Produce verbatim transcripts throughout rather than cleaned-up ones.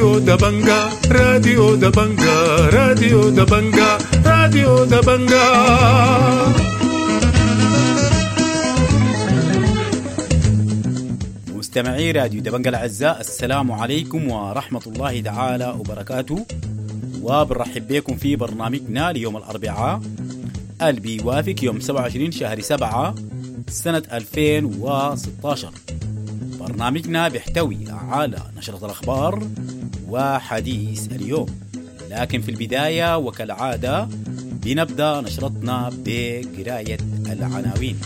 راديو دبنجا راديو دبنجا راديو دبنجا راديو دبنجا. مستمعي راديو دبنجا الأعزاء، السلام عليكم ورحمة الله تعالى وبركاته، وبنرحب بكم في برنامجنا ليوم الأربعاء اللي بيوافق يوم سبعة وعشرين شهر سبعة سنة ألفين وستة عشر. برنامجنا بيحتوي على نشرة الأخبار وحديث اليوم، لكن في البداية وكالعادة بنبدأ نشرتنا بقراية العناوين.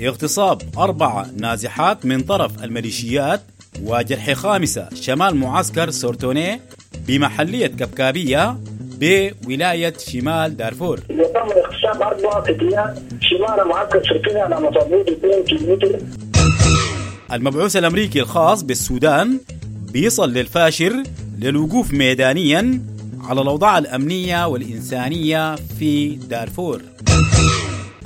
اغتصاب أربعة نازحات من طرف الميليشيات وجرح خامسة شمال معسكر سورتوني بمحلية كبكابية بولاية شمال دارفور. يتم اغتصاب أربعة فتيات شمال معسكر سورتوني على مسافة اثنين كيلومتر. المبعوث الأمريكي الخاص بالسودان بيصل للفاشر للوقوف ميدانيا على الأوضاع الأمنية والإنسانية في دارفور.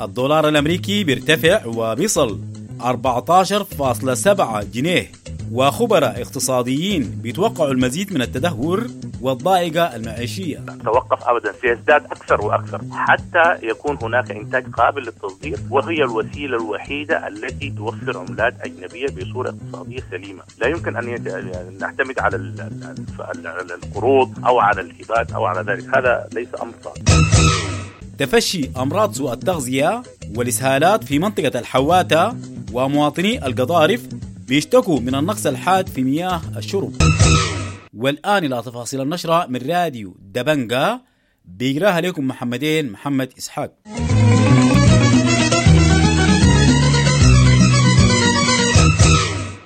الدولار الأمريكي بيرتفع وبيصل أربعة عشر فاصلة سبعة جنيه، وخبراء اقتصاديين بيتوقعوا المزيد من التدهور والضائقة المعيشية. توقف أبدا، سيزداد أكثر وأكثر حتى يكون هناك إنتاج قابل للتصدير، وهي الوسيلة الوحيدة التي توفر عملات أجنبية بصورة اقتصادية سليمة. لا يمكن أن نعتمد على القروض أو على الهبات أو على ذلك، هذا ليس أمر صعب. تفشي أمراض سوء التغذية والإسهالات في منطقة الحواتة، ومواطني القضارف بيشتكوا من النقص الحاد في مياه الشرب. والآن إلى تفاصيل النشرة من راديو دبنجا، بيقراها لكم محمدين محمد إسحاق.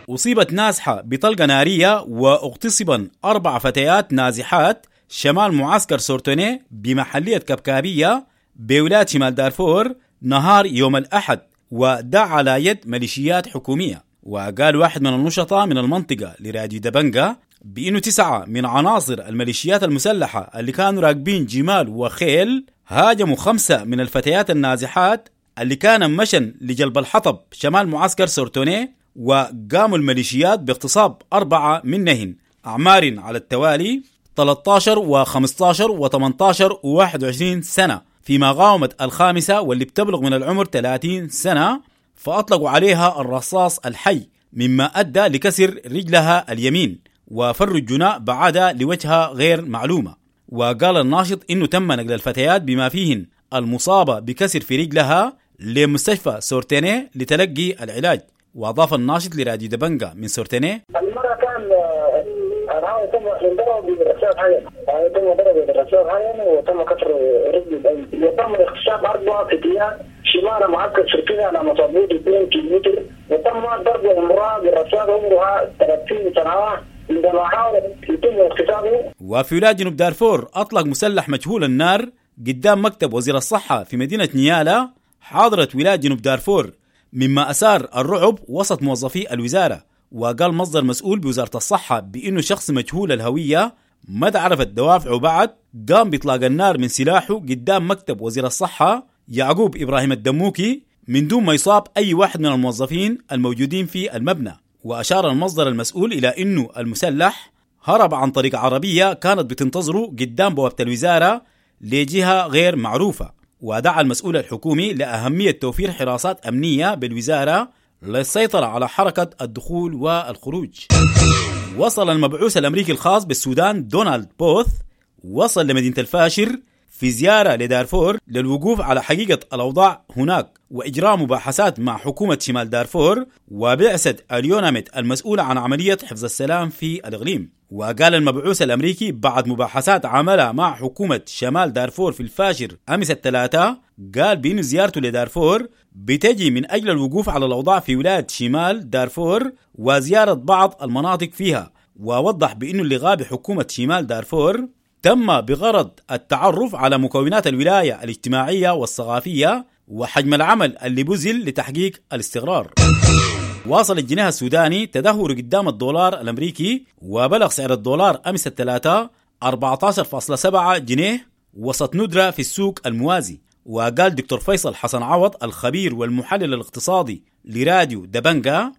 أصيبت نازحة بطلقة نارية واغتصبا أربع فتيات نازحات شمال معسكر سورتوني بمحلية كبكابية بولاية شمال دارفور نهار يوم الأحد، ودع على يد ميليشيات حكومية. وقال واحد من النشطاء من المنطقة لراديو دبنجا بأنه تسعة من عناصر الميليشيات المسلحة اللي كانوا راكبين جمال وخيل هاجموا خمسة من الفتيات النازحات اللي كان مشن لجلب الحطب شمال معسكر سورتوني، وقاموا الميليشيات باغتصاب أربعة منهن أعمار على التوالي ثلاثة عشر وخمسة عشر وثمانية عشر وواحد وعشرين سنة، فيما قاومت الخامسة واللي بتبلغ من العمر ثلاثين سنة فأطلقوا عليها الرصاص الحي، مما أدى لكسر رجلها اليمين، وفر الجناء بعدها لوجهة غير معلومة. وقال الناشط إنه تم نقل الفتيات بما فيهن المصابة بكسر في رجلها لمستشفى سورتيني لتلقي العلاج. وأضاف الناشط لراديو دبنجا من سورتيني: المرة كان تم ضرب بالرصاص حيا، تم ضرب بالرصاص حيا وتم كسر رجله. وتم اغتصاب أربع فتيات شمال معسكر سورتوني على مسافة اثنين كيلومتر، وتم ضرب امرأة بالرصاص عمرها ثلاثين سنة عندما حاولت يتم اغتصابه. وفي ولاية جنوب دارفور أطلق مسلح مجهول النار قدام مكتب وزير الصحة في مدينة نيالا حاضرة ولاية جنوب دارفور، مما أثار الرعب وسط موظفي الوزارة. وقال مصدر مسؤول بوزارة الصحة بأنه شخص مجهول الهوية ما تعرفت دوافعه بعد قام بإطلاق النار من سلاحه قدام مكتب وزير الصحة يعقوب إبراهيم الدموكي من دون ما يصاب أي واحد من الموظفين الموجودين في المبنى. وأشار المصدر المسؤول إلى أنه المسلح هرب عن طريق عربية كانت بتنتظره قدام بوابة الوزارة لجهة غير معروفة. ودعا المسؤول الحكومي لأهمية توفير حراسات أمنية بالوزارة للسيطرة على حركة الدخول والخروج. وصل المبعوث الأمريكي الخاص بالسودان دونالد بوث وصل لمدينة الفاشر في زيارة لدارفور للوقوف على حقيقة الأوضاع هناك وإجراء مباحثات مع حكومة شمال دارفور وبعثة اليوناميد المسؤولة عن عملية حفظ السلام في الإقليم. وقال المبعوث الأمريكي بعد مباحثات عملها مع حكومة شمال دارفور في الفاشر أمس الثلاثاء، قال بأن زيارته لدارفور بتجي من أجل الوقوف على الأوضاع في ولاية شمال دارفور وزيارة بعض المناطق فيها. ووضح بأن اللقاء بحكومة شمال دارفور تم بغرض التعرف على مكونات الولاية الاجتماعية والثقافية وحجم العمل اللي بذل لتحقيق الاستقرار. واصل الجنيه السوداني تدهور قدام الدولار الأمريكي، وبلغ سعر الدولار أمس الثلاثاء أربعة عشر فاصلة سبعة جنيه وسط ندرة في السوق الموازي. وقال دكتور فيصل حسن عوض الخبير والمحلل الاقتصادي لراديو دبنجا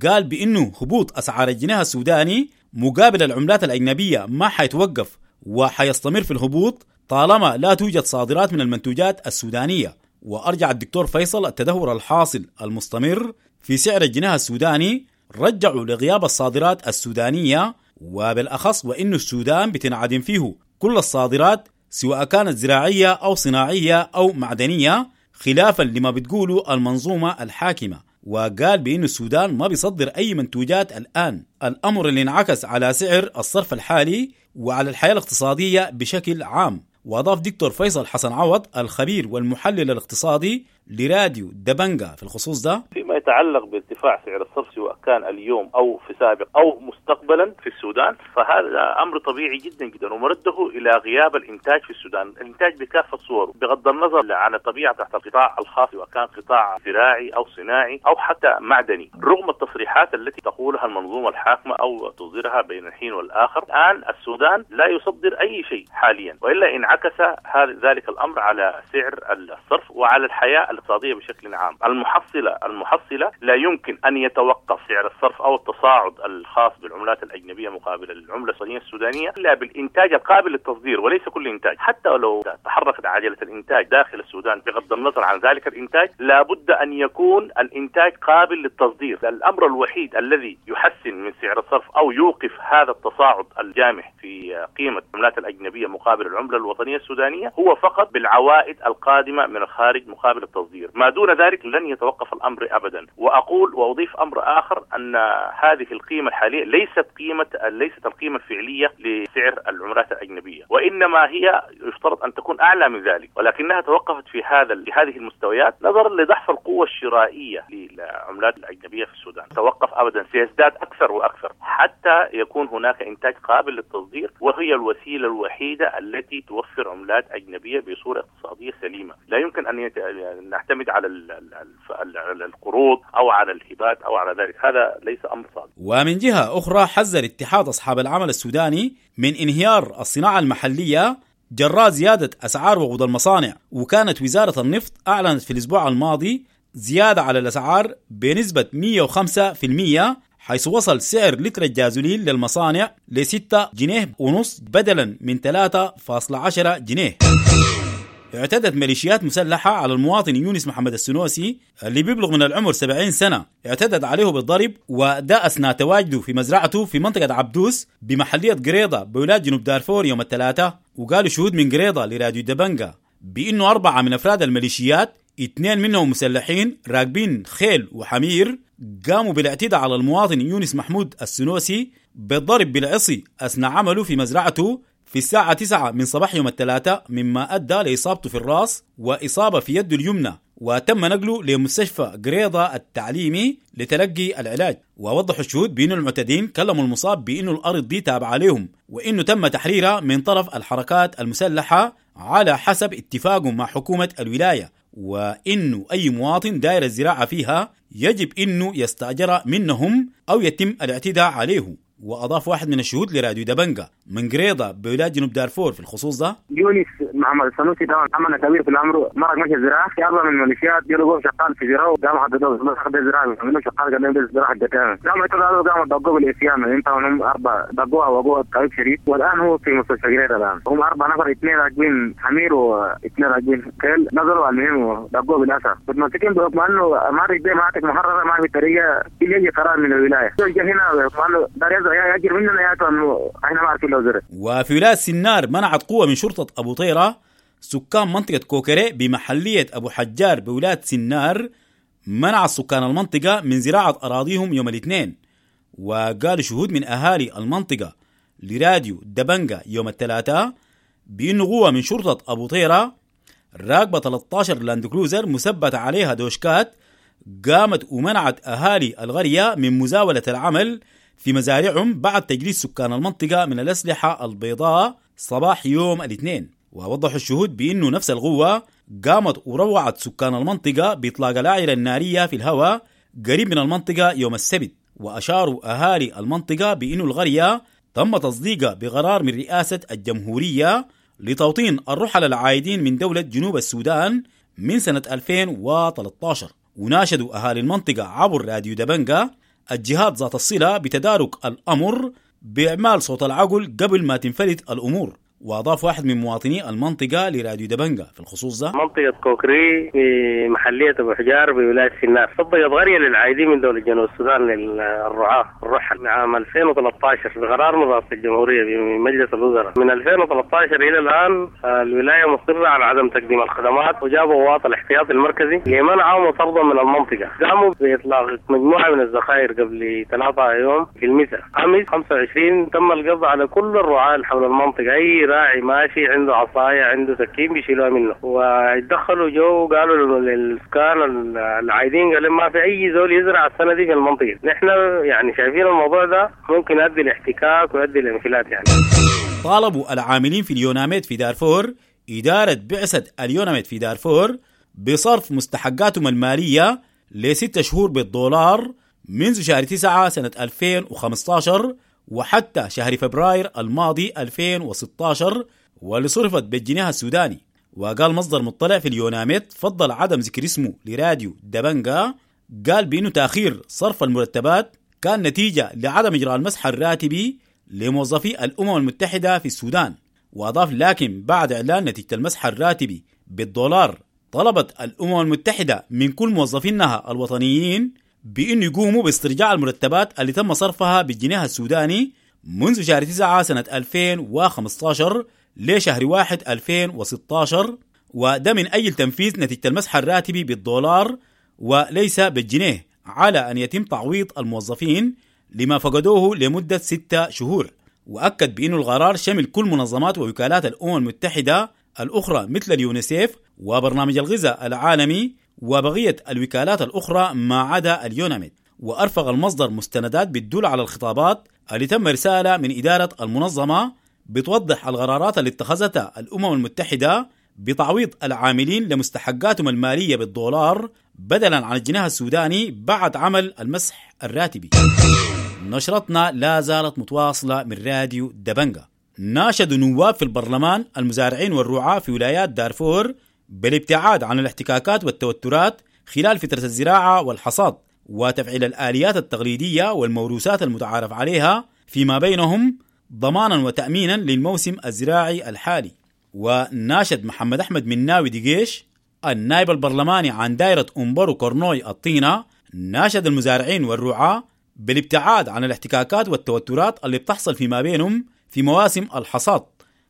قال بأنه هبوط أسعار الجنيه السوداني مقابل العملات الأجنبية ما حيتوقف وحيستمر في الهبوط طالما لا توجد صادرات من المنتوجات السودانية. وأرجع الدكتور فيصل التدهور الحاصل المستمر في سعر الجنيه السوداني رجعوا لغياب الصادرات السودانية، وبالأخص وإنه السودان بتنعدم فيه كل الصادرات سواء كانت زراعية أو صناعية أو معدنية، خلافا لما بتقوله المنظومة الحاكمة. وقال بأن السودان ما بيصدر أي منتوجات الآن، الأمر اللي انعكس على سعر الصرف الحالي وعلى الحياة الاقتصادية بشكل عام. وأضاف دكتور فيصل حسن عوض الخبير والمحلل الاقتصادي لراديو دبنجا في الخصوص ده: فيما يتعلق بارتفاع سعر الصرف سواء كان اليوم أو في سابق أو مستقبلا في السودان فهذا أمر طبيعي جدا جدا، ومرده إلى غياب الإنتاج في السودان، الإنتاج بكافة صوره بغض النظر عن طبيعة تحت القطاع الخاص سواء كان قطاع زراعي أو صناعي أو حتى معدني، رغم التصريحات التي تقولها المنظومة الحاكمة أو تصدرها بين الحين والآخر. الآن السودان لا يصدر أي شيء حاليا، وإلا انعكس هذا ذلك الأمر على سعر الصرف وعلى الحياة الاقتصادية بشكل عام. المحصلة المحصلة لا يمكن أن يتوقف سعر الصرف أو التصاعد الخاص بالعملات الأجنبية مقابل العملة الصينية السودانية إلا بالإنتاج القابل للتصدير، وليس كل إنتاج. حتى لو تحركت عجلة الإنتاج داخل السودان بغض النظر عن ذلك الإنتاج لابد أن يكون الإنتاج قابل للتصدير. الأمر الوحيد الذي يحسن من سعر الصرف أو يوقف هذا التصاعد الجامح في قيمة العملات الأجنبية مقابل العملة الوطنية السودانية هو فقط بالعوائد القادمة من الخارج مقابل التصدير، ما دون ذلك لن يتوقف الأمر أبدا. وأقول وأضيف أمر آخر أن هذه القيمة الحالية ليست قيمة ليست القيمة الفعلية لسعر العملات الأجنبية، وإنما هي يفترض أن تكون أعلى من ذلك، ولكنها توقفت في هذا في هذه المستويات نظرا لضعف القوة الشرائية للعملات الأجنبية في السودان. توقف أبدا، سيزداد أكثر وأكثر حتى يكون هناك إنتاج قابل للتصدير، وهي الوسيلة الوحيدة التي توفر عملات أجنبية بصورة اقتصادية سليمة. لا يمكن أن نعتمد على القروض أو على الهبات أو على ذلك، هذا ليس أمر صادق. ومن جهة أخرى حذر اتحاد أصحاب العمل السوداني من انهيار الصناعة المحلية جراء زيادة أسعار وقود المصانع. وكانت وزارة النفط أعلنت في الأسبوع الماضي زيادة على الأسعار بنسبة مئة وخمسة بالمئة، حيث وصل سعر لتر الجازولين للمصانع لستة جنيه ونص بدلا من ثلاثة فاصلة عشرة جنيه. اعتدت ميليشيات مسلحة على المواطن يونس محمد السنوسي اللي بيبلغ من العمر سبعين سنة، اعتدت عليه بالضرب وده أثناء تواجده في مزرعته في منطقة عبدوس بمحلية قريضة بولاية جنوب دارفور يوم الثلاثاء. وقالوا شهود من قريضة لراديو دبنجا بأنه أربعة من أفراد الميليشيات، اثنين منهم مسلحين راكبين خيل وحمير، قاموا بالاعتداء على المواطن يونس محمود السنوسي بالضرب بالعصي أثناء عمله في مزرعته في الساعة تسعة من صباح يوم الثلاثاء، مما أدى لإصابته في الرأس وإصابة في يده اليمنى، وتم نقله لمستشفى قريضة التعليمي لتلقي العلاج. ووضحوا الشهود بأن المعتدين كلموا المصاب بأنه الأرض دي تابعة لهم، وأنه تم تحريرها من طرف الحركات المسلحة على حسب اتفاقهم مع حكومة الولاية، وإنه أي مواطن داير الزراعة فيها يجب إنه يستأجر منهم أو يتم الاعتداء عليه. وأضاف واحد من الشهود لراديو دبنجا من قريضة بولاية جنوب دارفور في الخصوص ده: يونس محمد السنوسي ده عمل كبير في الأمر، مرق ماشي الزراعة في أربعة من الميليشيات جلبوه شغال في زراعة، قام حددوه ما زراعة عملوا شغال قدام الزراعة حقتها، قام اعتدوا قام دقوه بالإسيان، انت هم أربعة دقوها وأبوه طبيب شريف، والآن هو في مستشفى قريضة الآن. هم أربعة نفر، اثنين راكبين حمير واثنين راكبين خيل، نزلوا على المهم ودقوه بالأسى. متمسكين بحكم أنه ما في مناطق محررة، ما في طريقة يجي قرار من الولاية هنا بحكم أنه وفي ولاية سنار منعت قوة من شرطة أبو طيرة سكان منطقة كوكري بمحلية أبو حجار بولاية سنار، منع سكان المنطقة من زراعة أراضيهم يوم الاثنين. وقال شهود من أهالي المنطقة لراديو دبنجا يوم الثلاثاء بأنه قوة من شرطة أبو طيرة راكبة ثلاثة عشر لاند كروزر مثبتة عليها دوشكات قامت ومنعت أهالي القرية من مزاولة العمل في مزارعهم بعد تجريد سكان المنطقة من الأسلحة البيضاء صباح يوم الاثنين. ووضحوا الشهود بأنه نفس القوة قامت وروعت سكان المنطقة بإطلاق الأعيرة النارية في الهواء قريب من المنطقة يوم السبت. وأشاروا أهالي المنطقة بأنه القرية تم تصديقها بقرار من رئاسة الجمهورية لتوطين الرحل العائدين من دولة جنوب السودان من سنة ألفين وثلاثة عشر. وناشدوا أهالي المنطقة عبر راديو دبنجا الجهات ذات الصلة بتدارك الأمر بإعمال صوت العقل قبل ما تنفلت الأمور. وأضاف واحد من مواطني المنطقة لراديو دبنجا في الخصوص ده: منطقة كوكري في محلية أبو حجار بولاية سنار طبقت قرية للعايدين من دولة جنوب السودان للرعاة الرحل عام ألفين وثلاثة عشر بقرار من رئاسة الجمهورية بمجلس الوزراء. من ألفين وثلاثة عشر إلى الآن الولاية مصرة على عدم تقديم الخدمات، وجابوا قوات الاحتياط المركزي لمنعهم وطردهم من المنطقة. قاموا بإطلاق مجموعة من الذخائر قبل ثلاثة يوم في المساء. أمس خمسة وعشرين تم القبض على كل الرعاة حول المنطقة، أي راعي ماشي عنده عصاية عنده سكين بيشيلوها منه، ويتدخلوا جو قالوا للسكان العايدين قالوا ما في أي زول يزرع السنة دي في المنطقة. نحن يعني شايفين الموضوع ده ممكن يؤدي لاحتكاك ويؤدي لانفلات يعني. طالبوا العاملين في اليوناميد في دارفور إدارة بعثة اليوناميد في دارفور بصرف مستحقاتهم المالية لستة شهور بالدولار منذ شهر تسعة سنة ألفين وخمسة عشر وحتى شهر فبراير الماضي ألفين وستة عشر، واللي صرفت بالجنيه السوداني. وقال مصدر مطلع في اليوناميد فضل عدم ذكر اسمه لراديو دبنجا، قال بأنه تأخير صرف المرتبات كان نتيجة لعدم إجراء المسح الراتبي لموظفي الأمم المتحدة في السودان. وأضاف لكن بعد إعلان نتيجة المسح الراتبي بالدولار طلبت الأمم المتحدة من كل موظفينها الوطنيين بأن يقوموا باسترجاع المرتبات اللي تم صرفها بالجنيه السوداني منذ شهر تسعة سنة ألفين وخمسة عشر لشهر واحد ألفين وستة عشر، وده من أجل تنفيذ نتيجة المسح الراتبي بالدولار وليس بالجنيه، على أن يتم تعويض الموظفين لما فقدوه لمدة ستة شهور. وأكد بأن القرار شمل كل منظمات ووكالات الأمم المتحدة الأخرى مثل اليونيسيف وبرنامج الغذاء العالمي وبقية الوكالات الأخرى ما عدا اليوناميد. وأرفق المصدر مستندات بتدل على الخطابات اللي تم رسالة من إدارة المنظمة بتوضح القرارات اللي اتخذتها الأمم المتحدة بتعويض العاملين لمستحقاتهم المالية بالدولار بدلا عن الجنيه السوداني بعد عمل المسح الراتبي. نشرتنا لا زالت متواصلة من راديو دبنجا. ناشدوا نواب في البرلمان المزارعين والرعاة في ولايات دارفور بالابتعاد عن الاحتكاكات والتوترات خلال فترة الزراعة والحصاد، وتفعيل الآليات التقليدية والموروثات المتعارف عليها فيما بينهم ضمانا وتأمينا للموسم الزراعي الحالي. وناشد محمد أحمد مناوي دقيش النائب البرلماني عن دائرة أمبرو كورنوي الطينة، ناشد المزارعين والرعاة بالابتعاد عن الاحتكاكات والتوترات اللي بتحصل فيما بينهم في مواسم الحصاد.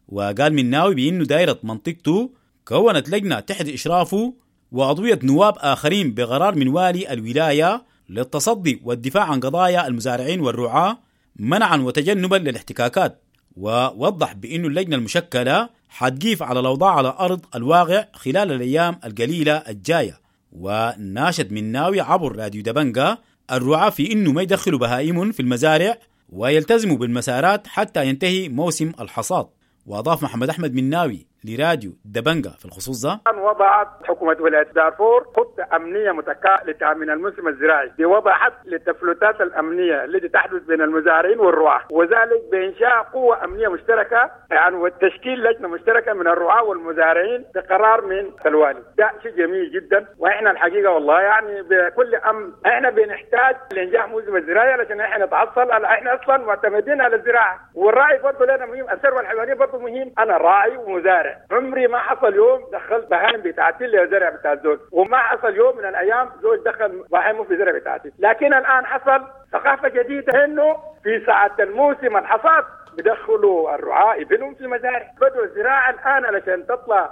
وقال مناوي بأنه دائرة منطقته كونت لجنة تحت إشرافه وعضوية نواب آخرين بقرار من والي الولاية للتصدي والدفاع عن قضايا المزارعين والرعاة منعا وتجنبا للاحتكاكات. ووضح بأنه اللجنة المشكلة حتقيف على الأوضاع على أرض الواقع خلال الأيام القليلة الجاية. وناشد مناوي عبر راديو دبنجا الرعاة في أنه ما يدخلوا بهائم في المزارع ويلتزموا بالمسارات حتى ينتهي موسم الحصاد. وأضاف محمد أحمد مناوي لراديو دبنجا في الخصوص ده: وضعت حكومة ولاية دارفور خطة أمنية متكاملة لتأمين الموسم الزراعي بوضع حد للتفلتات الأمنية التي تحدث بين المزارعين والرعاة، وذلك بإنشاء قوة أمنية مشتركة يعني وتشكيل لجنة مشتركة من الرعاة والمزارعين بقرار من الوالي. ده شيء جميل جدا، وإحنا الحقيقة والله يعني بكل أمن إحنا بنحتاج لإنجاح موسم الزراعي علشان إحنا نتعصل، إحنا أصلا معتمدين على الزراعة، والراعي برضه لنا مهم، الثروة الحيوانية برضه مهم. أنا راعي ومزارع، عمري ما حصل يوم دخلت بهايم بتاعتي اللي زرع بتاع الزوج، وما حصل يوم من الايام زوج دخل بهايمه في زرع بتاعتي. لكن الان حصل ثقافه جديده انه في ساعه الموسم الحصاد بدخلوا الرعاة ابنهم في المزارع، بدوا الزراعه الان علشان تطلع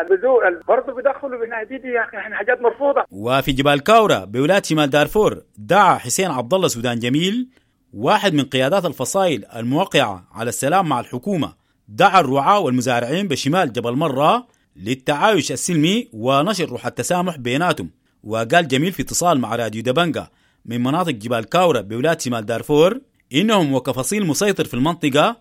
البذور برضه بدخلوا بالهديد. يا اخي احنا حاجات مرفوضه. وفي جبال كاورا بولايه شمال دارفور دعا حسين عبد الله سودان جميل واحد من قيادات الفصائل الموقعه على السلام مع الحكومه، دعا الرعاة والمزارعين بشمال جبل مرة للتعايش السلمي ونشر روح التسامح بيناتهم. وقال جميل في اتصال مع راديو دبنجا من مناطق جبال كاورا بولاية شمال دارفور إنهم وكفصيل مسيطر في المنطقة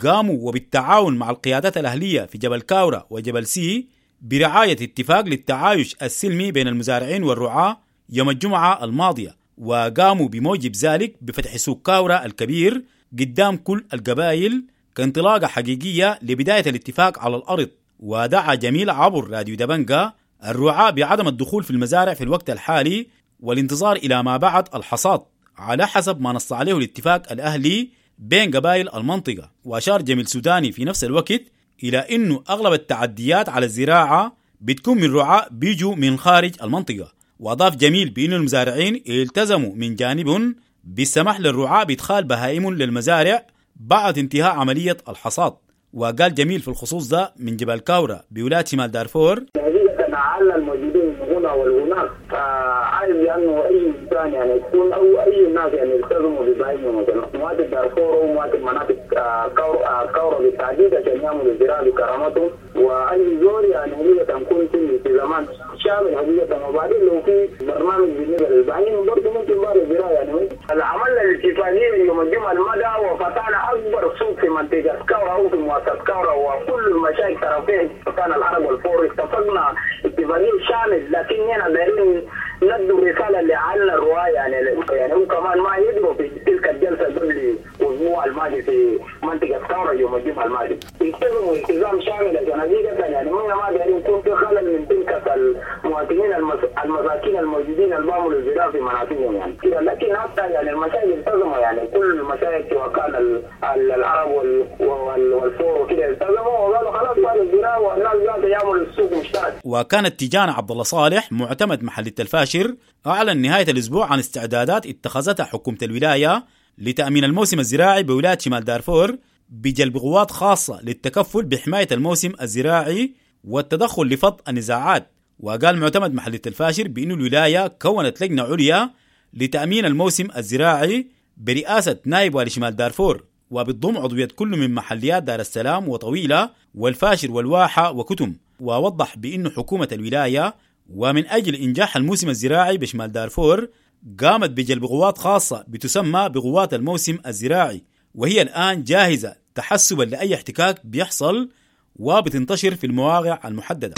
قاموا وبالتعاون مع القيادات الأهلية في جبل كاورا وجبل سي برعاية اتفاق للتعايش السلمي بين المزارعين والرعاة يوم الجمعة الماضية، وقاموا بموجب ذلك بفتح سوق كاورا الكبير قدام كل القبائل كانطلاقة حقيقية لبداية الاتفاق على الأرض. ودعا جميل عبر راديو دبنجا الرعاة بعدم الدخول في المزارع في الوقت الحالي والانتظار إلى ما بعد الحصاد على حسب ما نص عليه الاتفاق الأهلي بين قبائل المنطقة. وأشار جميل سوداني في نفس الوقت إلى أنه أغلب التعديات على الزراعة بتكون من رعاة بيجوا من خارج المنطقة. وأضاف جميل بأن المزارعين التزموا من جانبهم بالسماح للرعاة بإدخال بهائم للمزارع بعد انتهاء عملية الحصاد. وقال جميل في الخصوص ده من جبال كاورا بولاية شمال دارفور: حقيقة الموجودين هنا والهناك، فعايز لأنه أي إنسان يعني يكون أو أي ناس يعني يلتزموا ببهائمهم، مثلا مواطن دارفور أو مواطن مناطق كاورا بالتحديد عشان يعملوا الزراعة بكرامتهم، وأي زول يعني حقيقة يكون في التزامات شامل حقيقة. وبعدين لو في برنامج بالنسبة للبهائم برضه ممكن بعد الزراعة يعني عملنا الاتفاقية يوم الجمعة المدى وفتحنا أكبر سوق في منطقة كاورا أو في مؤسسة كاورا، وكل المشايخ طرفين كان العرب والفور اتفقنا اتفاقية شامل، لكن هنا دايرين ندوا رسالة لعل الرواية يعني يعني هو كمان ما يدروا في تلك الجلسة قبل الأسبوع الماضي في منطقة كاورا يوم الجمعة الماضي التزموا التزام شامل عشان حقيقة يعني ما دايرين يكون في خلل من تلك المواطنين المساكين الموجودين اللي بيعملوا الزراعة في مناطقهم يعني كده. لكن حتى يعني المشايخ التزموا يعني كل المشايخ سواء كان العرب والفور وكده التزموا وقالوا خلاص بعد الزراعة والناس ذاتها يعملوا السوق مشترك. وكانت تيجان عبد الله صالح معتمد محلية الفاشر أعلن نهاية الأسبوع عن استعدادات اتخذتها حكومة الولاية لتأمين الموسم الزراعي بولاية شمال دارفور بجلب قوات خاصة للتكفل بحماية الموسم الزراعي والتدخل لفض النزاعات. وقال معتمد محلية الفاشر بأن الولاية كونت لجنة عليا لتأمين الموسم الزراعي برئاسة نائب والي شمال دارفور، وبتضم عضوية كل من محليات دار السلام وطويلة والفاشر والواحة وكتم. ووضح بأن حكومة الولاية ومن أجل إنجاح الموسم الزراعي بشمال دارفور قامت بجلب قوات خاصة بتسمى بقوات الموسم الزراعي، وهي الآن جاهزة تحسبا لأي احتكاك بيحصل وبتنتشر في المواقع المحددة.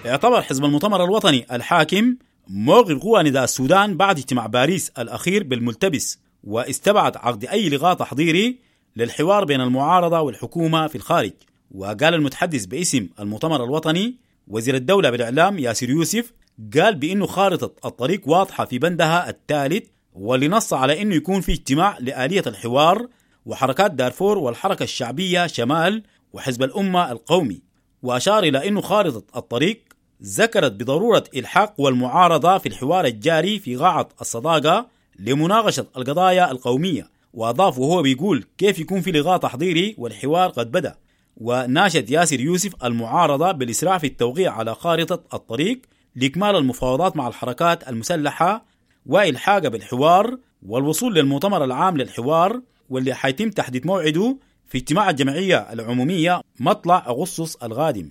اعتبر حزب المؤتمر الوطني الحاكم موقف قوى نداء السودان بعد اجتماع باريس الأخير بالملتبس، واستبعد عقد أي لقاء تحضيري للحوار بين المعارضة والحكومة في الخارج. وقال المتحدث باسم المؤتمر الوطني وزير الدولة بالإعلام ياسر يوسف، قال بأنه خارطة الطريق واضحة في بندها الثالث، واللي نص على أنه يكون في اجتماع لآلية الحوار وحركات دارفور والحركة الشعبية شمال وحزب الأمة القومي. وأشار إلى أنه خارطة الطريق ذكرت بضرورة إلحاق والمعارضة في الحوار الجاري في قاعة الصداقة لمناقشة القضايا القومية. وأضاف وهو بيقول كيف يكون في لقاء تحضيري والحوار قد بدأ. وناشد ياسر يوسف المعارضة بالإسراع في التوقيع على خارطة الطريق لإكمال المفاوضات مع الحركات المسلحة وإلحاقها بالحوار والوصول للمؤتمر العام للحوار، واللي حيتم تحديد موعده في اجتماع الجمعية العمومية مطلع أغسطس القادم.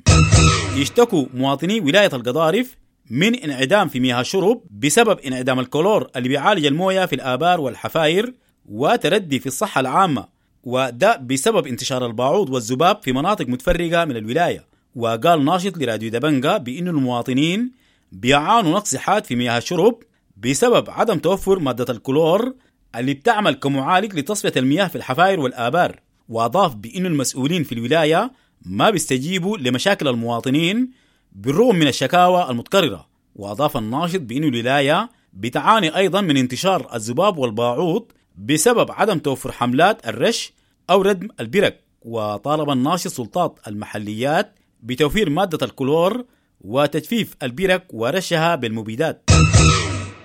يشتكوا مواطني ولاية القضارف من انعدام في مياه الشرب بسبب انعدام الكلور اللي بيعالج المويه في الآبار والحفاير وتردي في الصحة العامة، وده بسبب انتشار الباعوض والذباب في مناطق متفرقة من الولاية. وقال ناشط لراديو دبنجا بأن المواطنين بيعانوا نقص حاد في مياه الشرب بسبب عدم توفر مادة الكلور اللي بتعمل كمعالج لتصفية المياه في الحفاير والآبار. وأضاف بأن المسؤولين في الولاية ما بيستجيبوا لمشاكل المواطنين بالرغم من الشكاوى المتكررة. وأضاف الناشط بأن الولاية بتعاني أيضا من انتشار الذباب والباعوض بسبب عدم توفر حملات الرش أو ردم البرك. وطالب الناشط سلطات المحليات بتوفير مادة الكلور وتجفيف البرك ورشها بالمبيدات.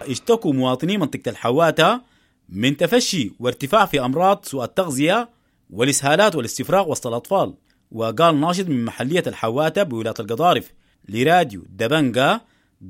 اشتكوا مواطني منطقة الحواتة من تفشي وارتفاع في أمراض سوء التغذية والإسهالات والاستفراغ وسط الأطفال. وقال ناشط من محلية الحواتة بولاية القضارف لراديو دبنجا،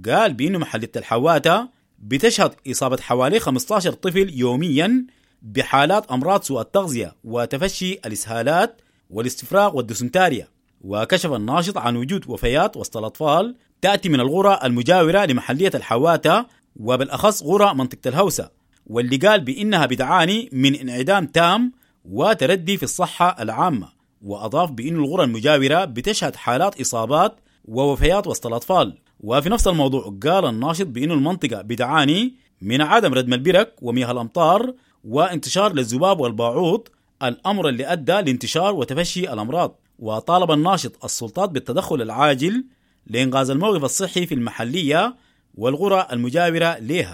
قال بأنه محلية الحواتة بتشهد إصابة حوالي خمسة عشر طفل يوميا بحالات أمراض سوء التغذية وتفشي الإسهالات والاستفراغ والدسنتاريا. وكشف الناشط عن وجود وفيات وسط الأطفال تأتي من الغرى المجاورة لمحلية الحواتة وبالأخص غرى منطقة الهوسة، واللي قال بأنها بتعاني من انعدام تام وتردي في الصحة العامة. وأضاف بأن الغرى المجاورة بتشهد حالات إصابات ووفيات وسط الأطفال. وفي نفس الموضوع قال الناشط بأن المنطقة بتعاني من عدم ردم البرك ومياه الأمطار وانتشار للذباب والباعوض، الأمر اللي أدى لانتشار وتفشي الأمراض. وطالب الناشط السلطات بالتدخل العاجل لإنقاذ الموقف الصحي في المحلية والقرى المجاورة لها.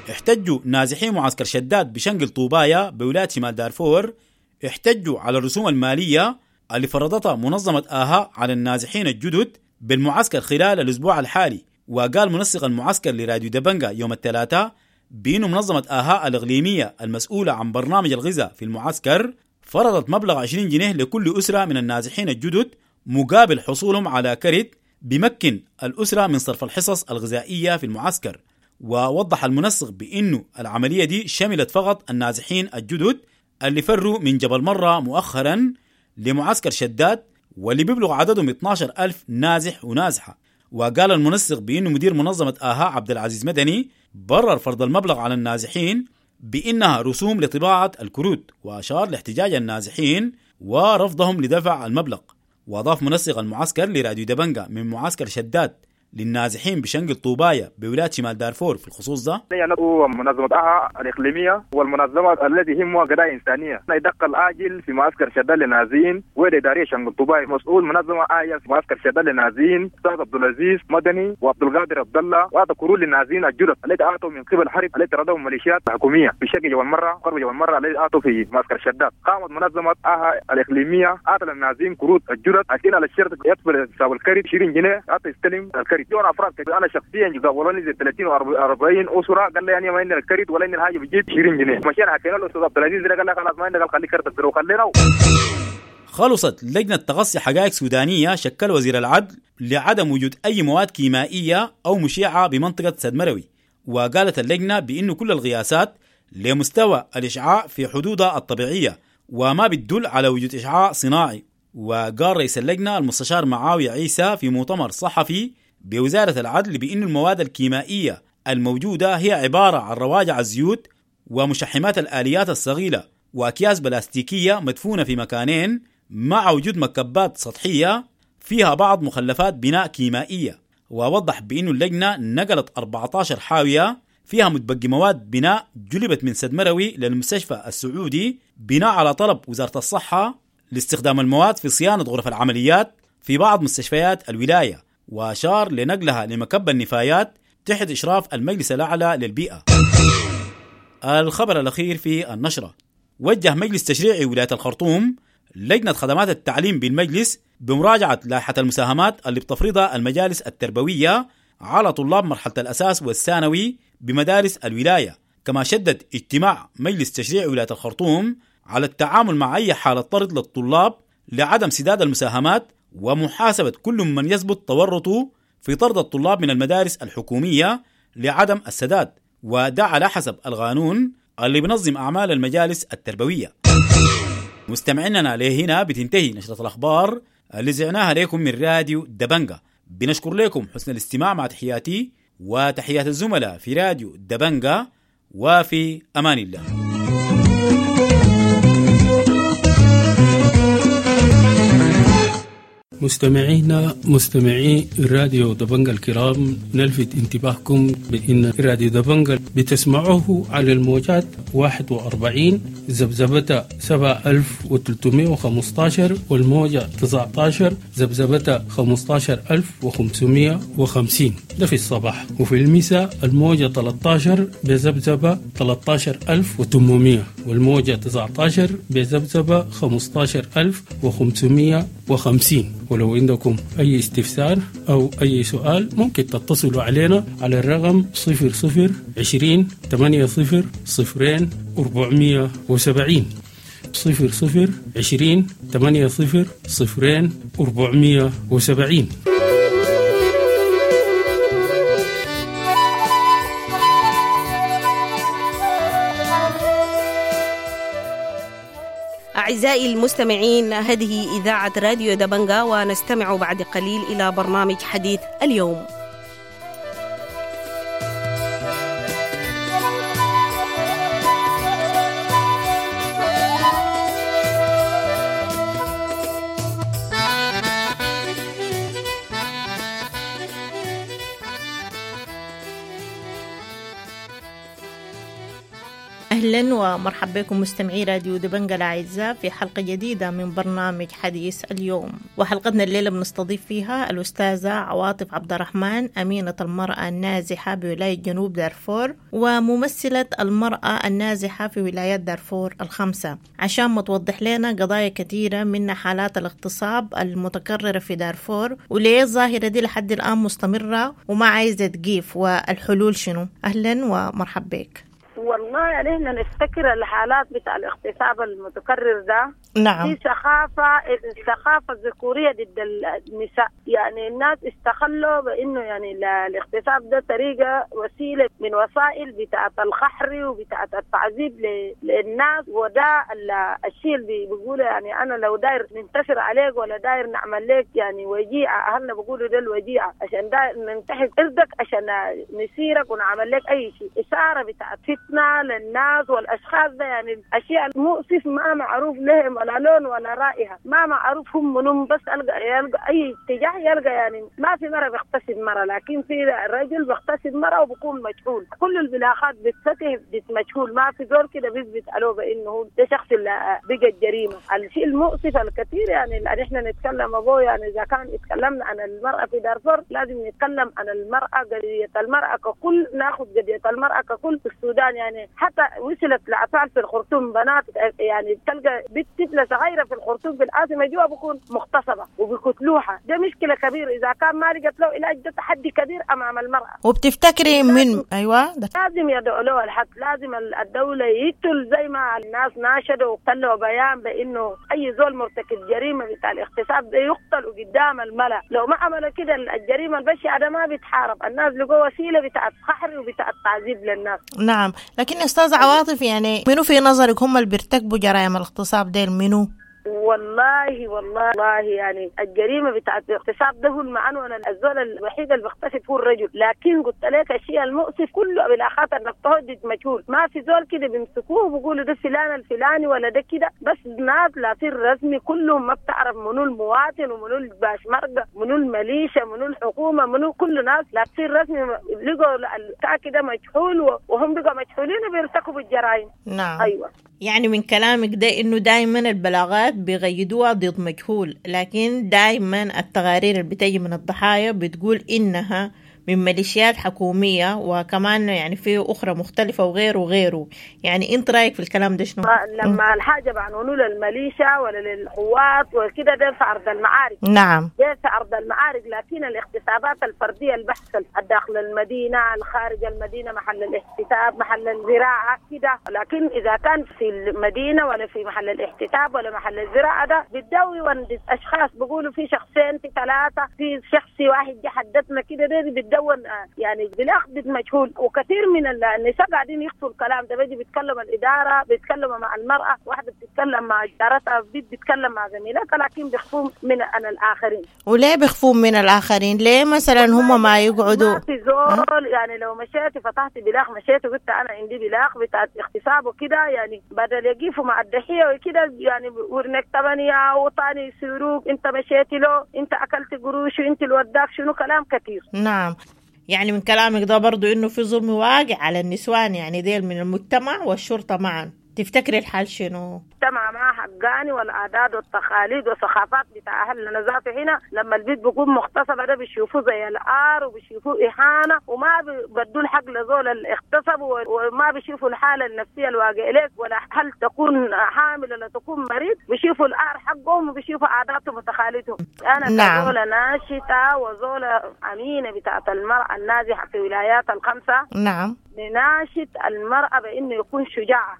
احتجوا نازحين معسكر شداد بشنقل طوبايا بولاية شمال دارفور، احتجوا على الرسوم المالية اللي فرضتها منظمة آها على النازحين الجدد بالمعسكر خلال الأسبوع الحالي. وقال منسق المعسكر لراديو دبنجا يوم الثلاثاء بأنه منظمة آها الإقليمية المسؤولة عن برنامج الغذاء في المعسكر فرضت مبلغ عشرين جنيه لكل أسرة من النازحين الجدد مقابل حصولهم على كرت بمكن الأسرة من صرف الحصص الغذائية في المعسكر. ووضح المنسق بأنه العملية دي شملت فقط النازحين الجدد اللي فروا من جبل مرة مؤخرا لمعسكر شداد واللي بيبلغ عددهم اثناشر ألف نازح ونازحة. وقال المنسق بأنه مدير منظمة آها عبد العزيز مدني برر فرض المبلغ على النازحين بأنها رسوم لطباعة الكروت، وأشار لاحتجاج النازحين ورفضهم لدفع المبلغ. وأضاف منسق المعسكر لراديو دبنجا من معسكر شداد للنازحين بشنقل طوبايا بولاية شمال دارفور في الخصوص ده: ندعو منظمة آها الإقليمية والمنظمة التي يهمها قضايا إنسانية يدق العاجل في معسكر شداد للنازحين وإدارية شنقل طوبايا. مسؤول منظمة آية في معسكر شداد للنازحين أستاذ عبد العزيز مدني وعبد القادر عبد الله، وأعطى كرول للنازحين الجدد التي أعطوا من قبل حرب التي طردهم ميليشيات الحكومية في شرق جبل مرة قرب جبل مرة التي أعطوا في معسكر شداد. قامت منظمة آها الإقليمية أعطى للنازحين كروت الجدد عشان على الشرط يدفع حساب الكرت عشرين جنيه أعطى يستلم الكرت. افراد انا شخصيا قابلوني زي ثلاثين وأربعين اسره، قال لي يعني ما عندنا الكرت ولا عندنا الحاجه بتجيب عشرين جنيه. مشينا حكينا له الاستاذ عبد العزيز قال لي خلاص ما عندك، قال خلي كرتك وخلينا. خلصت لجنة تقصي حقائق سودانية شكل وزير العدل لعدم وجود أي مواد كيميائية أو مشعة بمنطقة سد مروي. وقالت اللجنة بأنه كل القياسات لمستوى الإشعاع في حدودها الطبيعية وما بتدل على وجود إشعاع صناعي. وقال رئيس اللجنة المستشار معاوية عيسى في مؤتمر صحفي بوزارة العدل بأن المواد الكيميائية الموجودة هي عبارة عن رواجع الزيوت ومشحمات الآليات الصغيرة وأكياس بلاستيكية مدفونة في مكانين مع وجود مكبات سطحية فيها بعض مخلفات بناء كيميائية. ووضح بأن اللجنة نقلت أربعة عشر حاوية فيها متبقي مواد بناء جلبت من سد مروي للمستشفى السعودي بناء على طلب وزارة الصحة لاستخدام المواد في صيانة غرف العمليات في بعض مستشفيات الولاية، وأشار لنقلها لمكب النفايات تحت إشراف المجلس الأعلى للبيئة. الخبر الأخير في النشرة: وجه مجلس تشريعي ولاية الخرطوم لجنة خدمات التعليم بالمجلس بمراجعة لائحة المساهمات اللي بتفرضها المجالس التربوية على طلاب مرحلة الأساس والثانوي بمدارس الولاية. كما شدد اجتماع مجلس تشريعي ولاية الخرطوم على التعامل مع أي حالة طرد للطلاب لعدم سداد المساهمات ومحاسبة كل من يثبت تورطه في طرد الطلاب من المدارس الحكومية لعدم السداد، وده على حسب القانون اللي بنظم أعمال المجالس التربوية. مستمعيننا لهنا بتنتهي نشرة الأخبار اللي زعناها لكم من راديو دبنجا. بنشكر لكم حسن الاستماع، مع تحياتي وتحيات الزملاء في راديو دبنجا، وفي أمان الله. مستمعينا مستمعي راديو دبنجا الكرام، نلفت انتباهكم بأن راديو دبنجا بتسمعوه على الموجات واحد وأربعين ذبذبة سبعة ألف وثلاثمائة وخمسة عشر والموجة تسعة عشر ذبذبة خمسة عشر ألف وخمسمائة وخمسين، ده في الصباح، وفي المساء الموجة ثلاثة عشر بذبذبة ثلاثة عشر ألف وثمانمائة والموجة تسعة عشر بذبذبة خمسة عشر ألف وخمسمائة وخمسين. ولو عندكم أي استفسار أو أي سؤال ممكن تتصلوا علينا على الرقم صفر صفر عشرين ثمانية صفر صفرين أربعمية وسبعين، صفر صفر عشرين ثمانية صفر صفرين أربعمية وسبعين. أعزائي المستمعين، هذه إذاعة راديو دبنجا، ونستمع بعد قليل إلى برنامج حديث اليوم. أهلا ومرحبا بكم مستمعي راديو دبنجة الأعزاء في حلقة جديدة من برنامج حديث اليوم. وحلقتنا الليلة بنستضيف فيها الأستاذة عواطف عبد الرحمن، أمينة المرأة النازحة بولاية جنوب دارفور وممثلة المرأة النازحة في ولايات دارفور الخمسة، عشان ما توضح لنا قضايا كثيرة من حالات الاغتصاب المتكررة في دارفور وليه الظاهرة دي لحد الآن مستمرة وما عايزة تقيف والحلول شنو. أهلا ومرحبا بك. والله يعني احنا نفتكر الحالات بتاع الاغتصاب المتكرر ده، نعم، في سخافة، الثقافة الذكورية ضد النساء. يعني الناس استخلوا بانه يعني الاغتصاب ده طريقة، وسيلة من وسائل بتاعة القهر وبتاعة التعذيب للناس، وده الشيء اللي بيقوله يعني انا لو داير ننتصر عليك ولا داير نعمل لك يعني وجيعة، اهلنا بيقولوا ده الوجيعة، عشان داير ننتحر ارضك عشان نسيرك ونعمل لك اي شيء. إثارة بتاعة فتنة للناس والاشخاص ده، يعني اشياء مؤسف ما معروف لهم ولا لون ولا رائحة، ما معروف هم منهم، بس ألقى يلقى أي اتجاه يلقى. يعني ما في مرة بيغتصب مرة، لكن في رجل بيغتصب مرة وبكون مجهول. كل البلاغات بتفتح مجهول، ما في زول كده بيثبت عليه بأنه ده شخص اللي بقى الجريمة. الشيء المؤسف الكثير يعني اللي احنا نتكلم أبوه، يعني إذا كان اتكلمنا عن المرأة في دارفور لازم نتكلم عن المرأة، قضية المرأة ككل، ناخذ قضية المرأة ككل في السودان. يعني حتى وصلت لأطفال في الخرطوم، بنات يعني تلقى بنت طفلة صغيرة في الخرطوم في العاصمة جوا بكون مغتصبة وبيقتلوها. ده مشكلة كبيرة، إذا كان ما لقت له علاج ده تحدي كبير أمام المرأة. وبتفتكري من أيوة ده لازم يدعوا له الحد، لازم الدولة يقتل زي ما الناس ناشدوا وطلعوا بيان بإنه أي زول مرتكب جريمة بتاع الاغتصاب ده يقتل قدام الملأ. لو ما عملوا كده الجريمة البشعة ده ما بيتحارب، الناس لقوا وسيلة بتاعت قهر وبتاعت تعذيب للناس. نعم، لكن أستاذ عواطف يعني منو في نظرك هم اللي بيرتكبوا جرائم الاغتصاب ديل منو؟ والله والله والله يعني الجريمة بتاعت الاغتصاب ده هو المعنون، الزول الوحيد اللي بيغتصب هو الرجل. لكن قلت لك الشيء المؤسف كله بالاخات انك تهدد مجهول، ما في زول كده بيمسكوه وبيقولوا ده فلان الفلاني ولا ده كده، بس ناس لا في الرسمي كلهم ما بتعرف منو المواطن ومنو الباشمركه منو الميليشيا منو الحكومة منو، كل ناس لا في الرسمي لقوا البتاع كده مجهول وهم بقوا مجهولين وبيرتكبوا الجرائم. نعم، ايوه. يعني من كلامك ده انه دائما البلاغات بيغيدوها ضد مجهول، لكن دائما التقارير اللي بتجي من الضحايا بتقول انها من ميليشيات حكومية وكمان يعني في أخرى مختلفة وغيره وغيره. يعني أنت رأيك في الكلام ده شنو؟ لما الحاجة بعنونوا للميليشيا ولا للقوات وكده ده في أرض المعارك. نعم، ده في أرض المعارك. لكن الاغتصابات الفردية البحث داخل المدينة، الخارج المدينة، محل الاحتساب، محل الزراعة كده. لكن إذا كان في المدينة ولا في محل الاحتساب ولا محل الزراعة ده بتدوي أشخاص بيقولوا في شخصين في ثلاثة في شخص واحد حدثنا كده، ده بتدوي يعني بالاخذ مجهول. وكثير من النساء قاعدين يخفوا الكلام ده، بيجي بيتكلم الادارة، بيتكلموا مع المراة، واحدة بتتكلم مع جارتها، بتتكلم مع زميلتها، لكن بيخفوا من عن الاخرين. وليه بيخفوا من الاخرين؟ ليه مثلا هم ما يقعدوا؟ ما في زول يعني لو مشيت فتحت بلاغ، مشيت وقلت انا عندي بلاغ بتاع اغتصاب وكده، يعني بدل يقفوا مع الضحية وكده يعني ورنك ثمانية وطاني يسيروك، انت مشيتي له، انت اكلت قروش، وانت اللي وداك شنو، كلام كثير. نعم، يعني من كلامك ده برضو إنه في ظلم واقع على النسوان، يعني ديل من المجتمع والشرطة معا. تفتكري الحال شنو؟ المجتمع ما حقاني، والعادات والتقاليد والثقافات بتاع أهلنا ذاته هنا لما البيت بيكون مغتصب ده بيشوفوه زي العار وبيشوفوه إهانة، وما بيدوا الحق لزول اللي اغتصبوا، وما بيشوفوا الحالة النفسية الواقعة لك، ولا هل تكون حامل ولا تكون مريض، بيشوفوا العار حقهم وبيشوفوا عاداتهم وتقاليدهم. أنا نعم. كزولة ناشطة وزولة أمينة بتاعت المرأة النازحة في ولايات الخمسة، نعم، نناشد المرأة بأنه يكون شجاعة،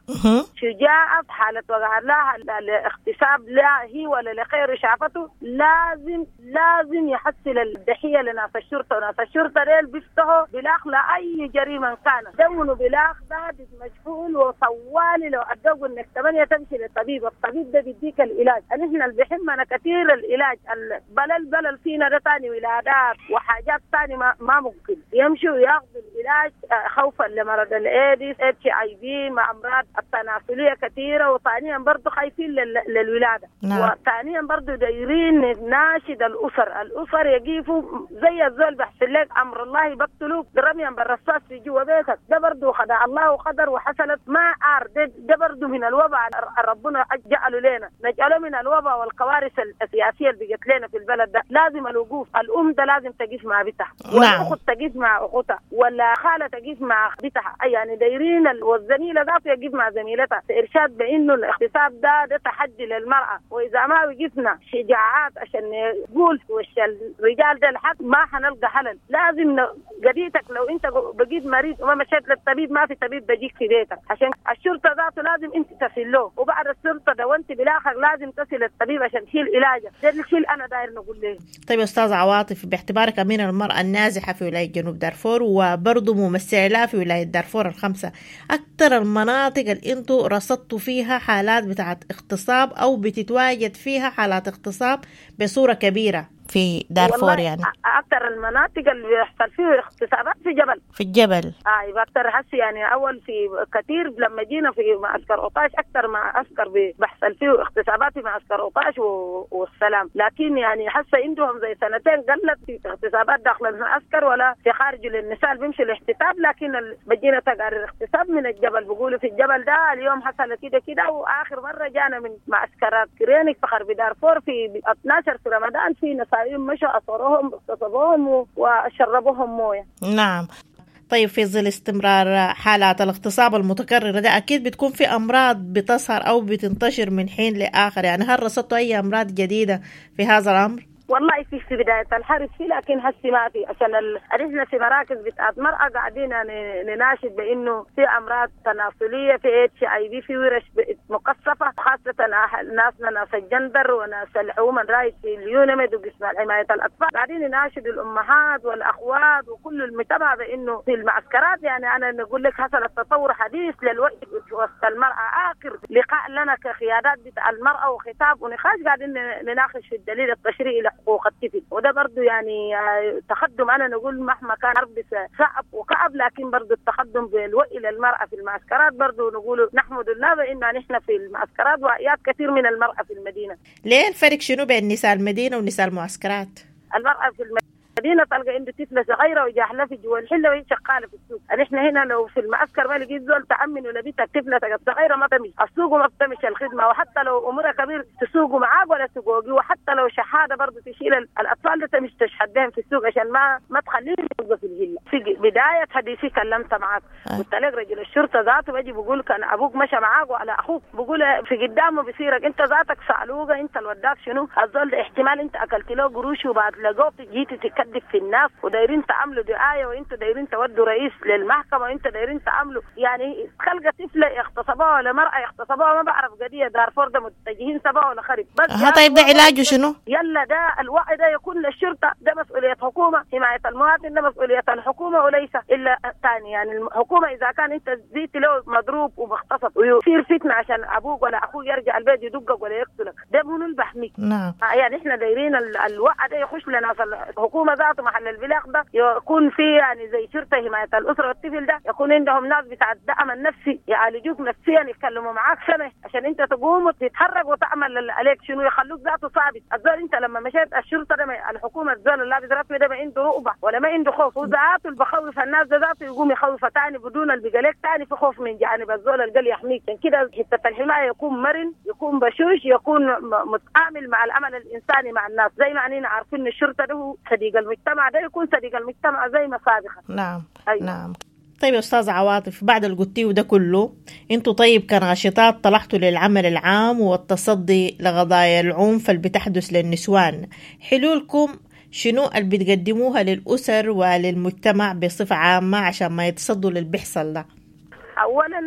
شجاعة في حالة وقع لها الاغتصاب لا هي ولا لغيره شافته، لازم لازم يحصل الضحية لناس الشرطة، وناس الشرطة ديل بيفتحوا بلاغ لأي جريمة كانت، دونوا بلاغ ده مجهول وطوالي لو أدوا إنك ثمانية تمشي للطبيب، الطبيب ده بيديك العلاج. نحن اللي بيهمنا كثير العلاج، البلل بلل فينا ده تاني ولادات وحاجات تاني ما, ما ممكن يمشوا ياخذوا العلاج خوفا خوف لمرض الايدز، HIV، مع امراض التناسلية كثيرة، وثانيا برضه خايفين لل... للولاده. نعم. وثانيا برضه دايرين ناشد الاسر، الاسر يقيفوا زي الزول بحسن لك امر الله بقتلوك رميا بالرصاص في جوا بيتك، ده برضه خدع الله وقدر وحصلت ما عار، ده, ده برضه من الوباء ربنا جعله لنا، نجعله من الوباء والكوارث السياسية اللي بقت لنا في البلد ده. لازم الوقوف، الام ده لازم تقف مع بيتها، والاخت تقف مع اختها، ولا خاله تقف مع بيتها، يعني دايرين والزميله ذاته يقف مع زميلتها. ارشاد بانه الاغتصاب ده ده تحدي للمراة، واذا ما وقفنا شجاعات عشان نقول وش الرجال ده الحق ما حنلقى حل. لازم قضيتك لو انت بقيت مريض وما مشيت للطبيب ما في طبيب بيجيك في بيتك، عشان الشرطة ذاته لازم انت تصل له، وبعد الشرطة ده وانت بالاخر لازم تصل الطبيب عشان تشيل علاجك. ده الشيء انا داير نقول له. طيب يا استاذ عواطف، باعتبارك امين المراة النازحه في ولاية جنوب دارفور وبرضه ممثلة في ولاية دارفور الخمسة، اكثر المناطق اللي انتوا رصدتوا فيها حالات بتاعت اغتصاب او بتتواجد فيها حالات اغتصاب بصورة كبيرة في دارفور، يعني اكثر المناطق اللي بيحصل فيه اغتصابات في جبل، في الجبل. ايوه اكثر حس يعني اول في كثير لما جينا في معسكر أوطاش اكثر معسكر بيحصل فيه اغتصابات في معسكر أوطاش و... والسلام، لكن يعني حاسه عندهم زي سنتين قلت في اغتصابات داخل المعسكر ولا في خارج للنساء بيمشوا الاحتساب، لكن بجينا تقارير اغتصاب من الجبل بيقولوا في الجبل ده اليوم حصل كده كده. واخر مرة جانا من معسكرات كرينك في غرب دارفور في اثنا عشر في رمضان في نساء مشوا أصروهم اغتصبوهم وشربوهم مويه. نعم. طيب في ظل استمرار حالات الاغتصاب المتكررة ده أكيد بتكون في أمراض بتظهر أو بتنتشر من حين لآخر، يعني هل رصدتوا أي أمراض جديدة في هذا الأمر؟ والله في في بداية الحرب في، لكن هسه ما في، عشان احنا في مراكز بتاعت مرأة قاعدين نناشد بانه في امراض تناسلية، في HIV، في ورش مكثفة، خاصة ناسنا ناس الجندر وناس ال human rights في اليونميد وقسم حماية الاطفال، قاعدين نناشد الامهات والاخوات وكل المجتمع بانه في المعسكرات. يعني انا نقول لك حصل التطور حديث للوقت وسط المرأة، اخر لقاء لنا كقيادات بتاع المرأة وخطاب ونقاش قاعدين نناقش في الدليل التشريعي لحقوق الطفل، وده برضو يعني تقدم. أنا نقول مهما كان حرب صعب وكعب، لكن برضو التقدم بالوعي للمرأة في المعسكرات برضو نقول نحمد الله بأن نحن في المعسكرات وعيات كثير من المرأة في المدينة. ليه الفرق شنو بين نساء المدينة ونساء المعسكرات؟ المرأة في المدينة تلقى عنده طفلة صغيرة وجاهلة في جوا الحلة وهي شغالة في السوق. نحن هنا لو في المعسكر ما لقيت زول تأمن ولا بيتك طفلة صغيرة ما تمشي السوق وما بتمشي الخدمة، وحتى لو أمورها كبير تسوقوا معاك ولا تسوقوا، وحتى لو شحادة برضه تشيل الأطفال ده تمشي تشحد بهم في السوق عشان ما ما تخليهم يوقفوا في الهلة. في بداية حديثي كلمت معاك قلت لك رجل الشرطة ذاته بيجي بيقول كان أبوك مشى معاك وعلى أخوك بيقول في قدامه بيصيرك أنت ذاتك صعلوقة، أنت الوداك شنو الزول ده، احتمال أنت أكلت له قروش وبعد لقوك جيت تكذب في الناس ودايرين تعملوا دعاية وانتوا دايرين تودوا رئيس للمحكمة وانتوا دايرين تعملوا يعني خلقه طفله اغتصبوها ولا مراة اغتصبوها ما بعرف قضية دارفور ده متجهين سبعة ولا خرب بس. ها طيب ده علاجه شنو؟ يلا ده الوعي ده يكون للشرطة، ده مسؤولية حكومة، حماية المواطن ده مسؤولية الحكومة وليس الا ثاني. يعني الحكومة اذا كان انت زيت له مضروب ومغتصب ويصير فتنة عشان ابوك ولا اخوك يرجع البيت يدقك ولا يقتلك، ده منو اللي بحميك؟ نعم. يعني احنا دايرين الوعي ده يخش لنا الحكومة ذاته محل البلاغ ده يكون في يعني زي شرطه حماية الاسرة والطفل ده يكون عندهم ناس بتاع الدعم النفسي يعالجوك نفسيا، يتكلموا معاك سنة عشان انت تقوم وتتحرك وتعمل اللي عليك شنو، يخلوك ذاته ثابت. الزول انت لما مشيت الشرطة ده الحكومة الزول اللي لابس رسمي ده ما عنده رؤبه ولا ما عنده خوف، وذاته اللي بخوف الناس ده ذاته يقوم يخوفه ثاني بدون اللي بقى لك ثاني في خوف من جانب الزول اللي يحميك. عشان كده حتة الحماية يكون مرن، يكون بشوش، يكون متعامل مع العمل الانساني مع الناس، زي ما اننا عارفين الشرطة ده صديق المجتمع، ده يكون صديق المجتمع زي ما سابقا. نعم. أيوة. نعم. طيب يا أستاذ عواطف، بعد اللي قلتيه ده كله انتوا طيب كناشطات طلعتوا للعمل العام والتصدي لقضايا العنف اللي بتحدث للنسوان، حلولكم شنو اللي بتقدموها للأسر وللمجتمع بصفة عامة عشان ما يتصدوا للي بيحصل ده؟ أولا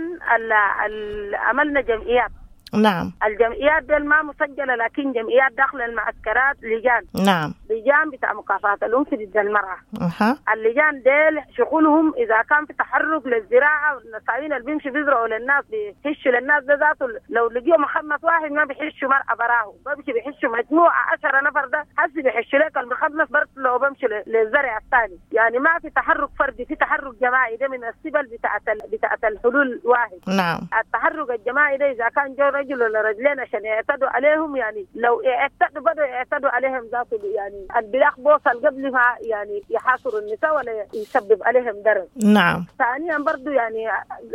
عملنا جمعيات. نعم. الجمعيات دي ما مسجلة، لكن جمعيات داخل المعسكرات لجان. نعم. لجان بتاع مكافحة العنف ضد المرأة. أه. اللجان ديل شغلهم إذا كان في تحرك للزراعة والنساوين اللي بيمشي بيزرعوا للناس بيحشوا للناس ده ذاته، لو لقيوا مخمس واحد ما بيحشوا مرأة براه، بمشي بيحشوا مجموعة عشرة نفر، ده حسي بيحشوا لك المخمس برضه لو بمشي للزرع الثاني. يعني ما في تحرك فردي، في تحرك جماعي. ده من السبل بتاعت بتاعت الحلول واحد. نعم. التحرك الجماعي ده إذا كان جو رجل ولا رجلين عشان يعتدوا عليهم، يعني لو اعتدوا بدوا يعتدوا عليهم ذاته، يعني البلاغ بوصل قبل ما يعني يحاصروا النساء ولا يسبب عليهم ضرر. نعم. ثانيا برضو يعني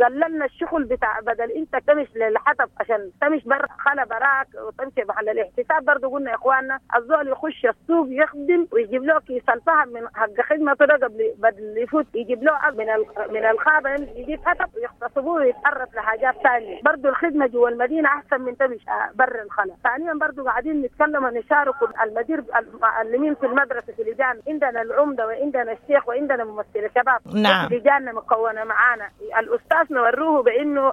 قللنا الشغل بتاع بدل انت تمشي للحطب عشان تمشي بر خلا براك وتمشي محل الاحتساب، برضو قلنا يا اخواننا الزول يخش السوق يخدم ويجيب له كيس الفحم من حق خدمته ده قبل بدل يفوت، يجيب له من من الخابه يجيب حطب ويغتصبوه ويتعرض لحاجات ثانية. برضو الخدمة جوا المدينة احسن من تمشي بر الخلا. ثانيا برضو قاعدين نتكلم ونشارك المدير المعلمين في المدرسة في لجان، عندنا العمدة وعندنا الشيخ وعندنا ممثل شباب. نعم. لجاننا مكونة معانا الاستاذ نوروه بانه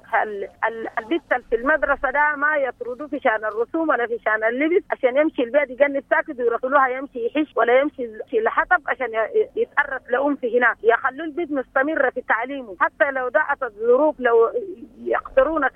البت في المدرسة ده ما يطردوه في شان الرسوم ولا في شان اللبس عشان يمشي البيت يجنب ساكت ويرسلوها يمشي يحش ولا يمشي الحطب عشان يتعرض لأم في هناك. يخلوا البيت مستمرة في تعليمه حتى لو دعت الظروف، لو يقدرون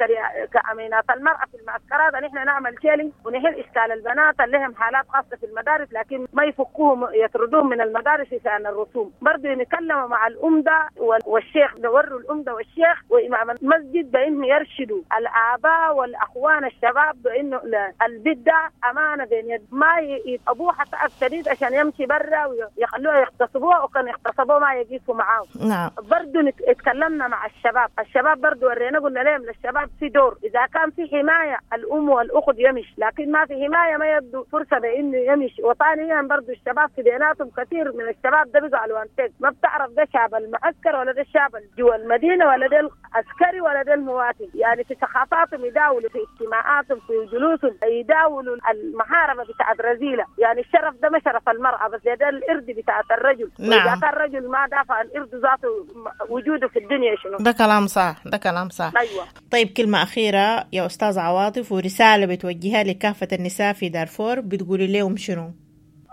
كأمينات المرأة في المعسكرات ان احنا نعمل شيلينج ونحل اشكال البنات اللي لهم حالات خاصة في المدارس، لكن ما يفكوهم يطردوهم من المدارس عشان الرسوم. برضه نتكلم مع الأمدة والشيخ، نوروا الأمدة والشيخ وإمام المسجد بأنه يرشدوا الآباء والأخوان الشباب بأنه البيت ده أمانة بين يد، ما يتعبوها تعب شديد عشان يمشي برا ويخلوها يغتصبوها، وكان يغتصبوها ما يقيسوا معاه. نعم. برضه اتكلمنا مع الشباب، الشباب برضه ورينا قلنا لهم للشباب في دور، إذا كان في حماية الأم والأخت يمشي، لكن ما في حماية ما يبدو فرصة بأنه يمشي. وثانيا برضه الشباب في بيناتهم كثير من الشباب ده بيزعلوا أنتك ما بتعرف ده شاب المعسكر ولا ده الشاب جوا المدينة ولا ده العسكري ولا ده المواطن، يعني في ثقافاتهم يداولوا، في اجتماعاتهم، في جلوسهم يداولوا المحاربة بتاعت رذيلة. يعني الشرف ده ما شرف المرأة بس، ده الإرد بتاعت الرجل. نعم. وإذا كان الرجل ما دافع عن إرد ذاته وجوده في الدنيا شنو؟ ده كلام صح، ده كلام صح. أيوة. طيب كلمة أخيرة يا أستاذ عواطف ورسالة بتوجهها لكافة النساء في دارفور، بتقولي لهم شنو؟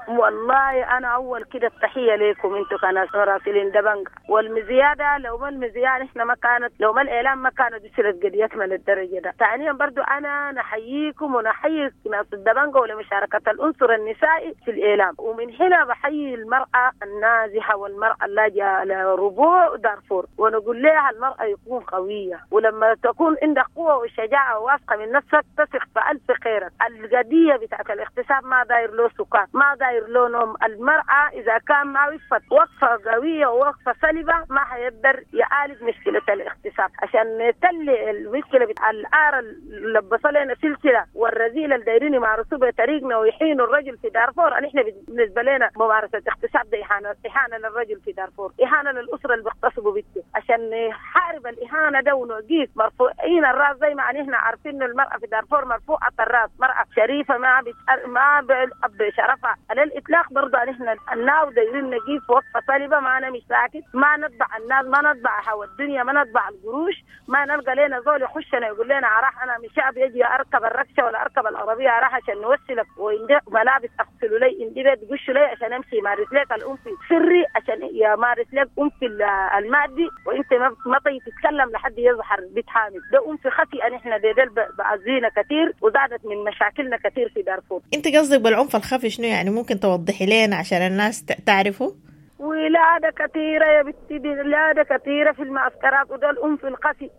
والله أنا أول كده التحية لكم أنتوا كناس مراسلين دبنجة، والمزيادة لو ما المزيادة إحنا ما كانت، لو ما الإعلام ما كانت وصلت قضيتنا للدرجة ده. ثانيا برضو أنا نحييكم ونحيي ناس الدبنجة ولمشاركة العنصر النسائي في الإعلام، ومن هنا بحيي المرأة النازحة والمرأة اللاجئة لربوع دارفور، ونقول لها المرأة يكون قوية، ولما تكون عندك قوة وشجاعة وواثقة من نفسك تثق في ألف خيرك. القضية بتاعت الاغتصاب ما داير له سكات، ما داير لونهم. المرأة إذا كان ما وقفت وقفة قوية ووقفة سلبة ما حيقدر يعالج مشكلة الاغتصاب. عشان نتلي المشكلة بتاع الآر اللي لبسوا لنا سلسلة والرذيلة اللي دايرين يمارسوه بطريقنا ويحينوا الرجل في دارفور، نحن بالنسبة لنا ممارسة اغتصاب ده إهانة، إهانة للرجل في دارفور، إهانة للأسرة اللي بيغتصبوا بنته. عشان نحارب الإهانة ده ونوقف مرفوعين الراس زي ما نحن عارفين إنه المرأة في دارفور مرفوعة الراس، مرأة شريفة ما بتأ... ما بشرفها الإطلاق. برضه نحن الناو دايرين نجيب وقفة طالبة، ما أنا مش ساكت، ما نتبع الناس، ما نتبع هوا الدنيا، ما نتبع القروش، ما نلقى لنا زول يخشنا يقول لنا راح أنا من شعب يجي أركب الركشة ولا أركب العربية راح عشان نوصلك، وإندي ملابس أغسلوا لي، إندي بيت قشوا لي عشان أمشي مارس لك الأم في سري، عشان يمارس لك أم في المادي، وأنت ما طيب تتكلم لحد يظهر بيت حامد. ده أم في خفي نحن ده بعزينا كثير وزادت من مشاكلنا كثير في دارفور. أنت قصدك بالعنف الخفي شنو يعني؟ ممكن توضحي لنا عشان الناس تعرفه؟ ولادة كثيرة يا بنتي، ولادة كثيرة في المعسكرات، وده الأم في الخفي.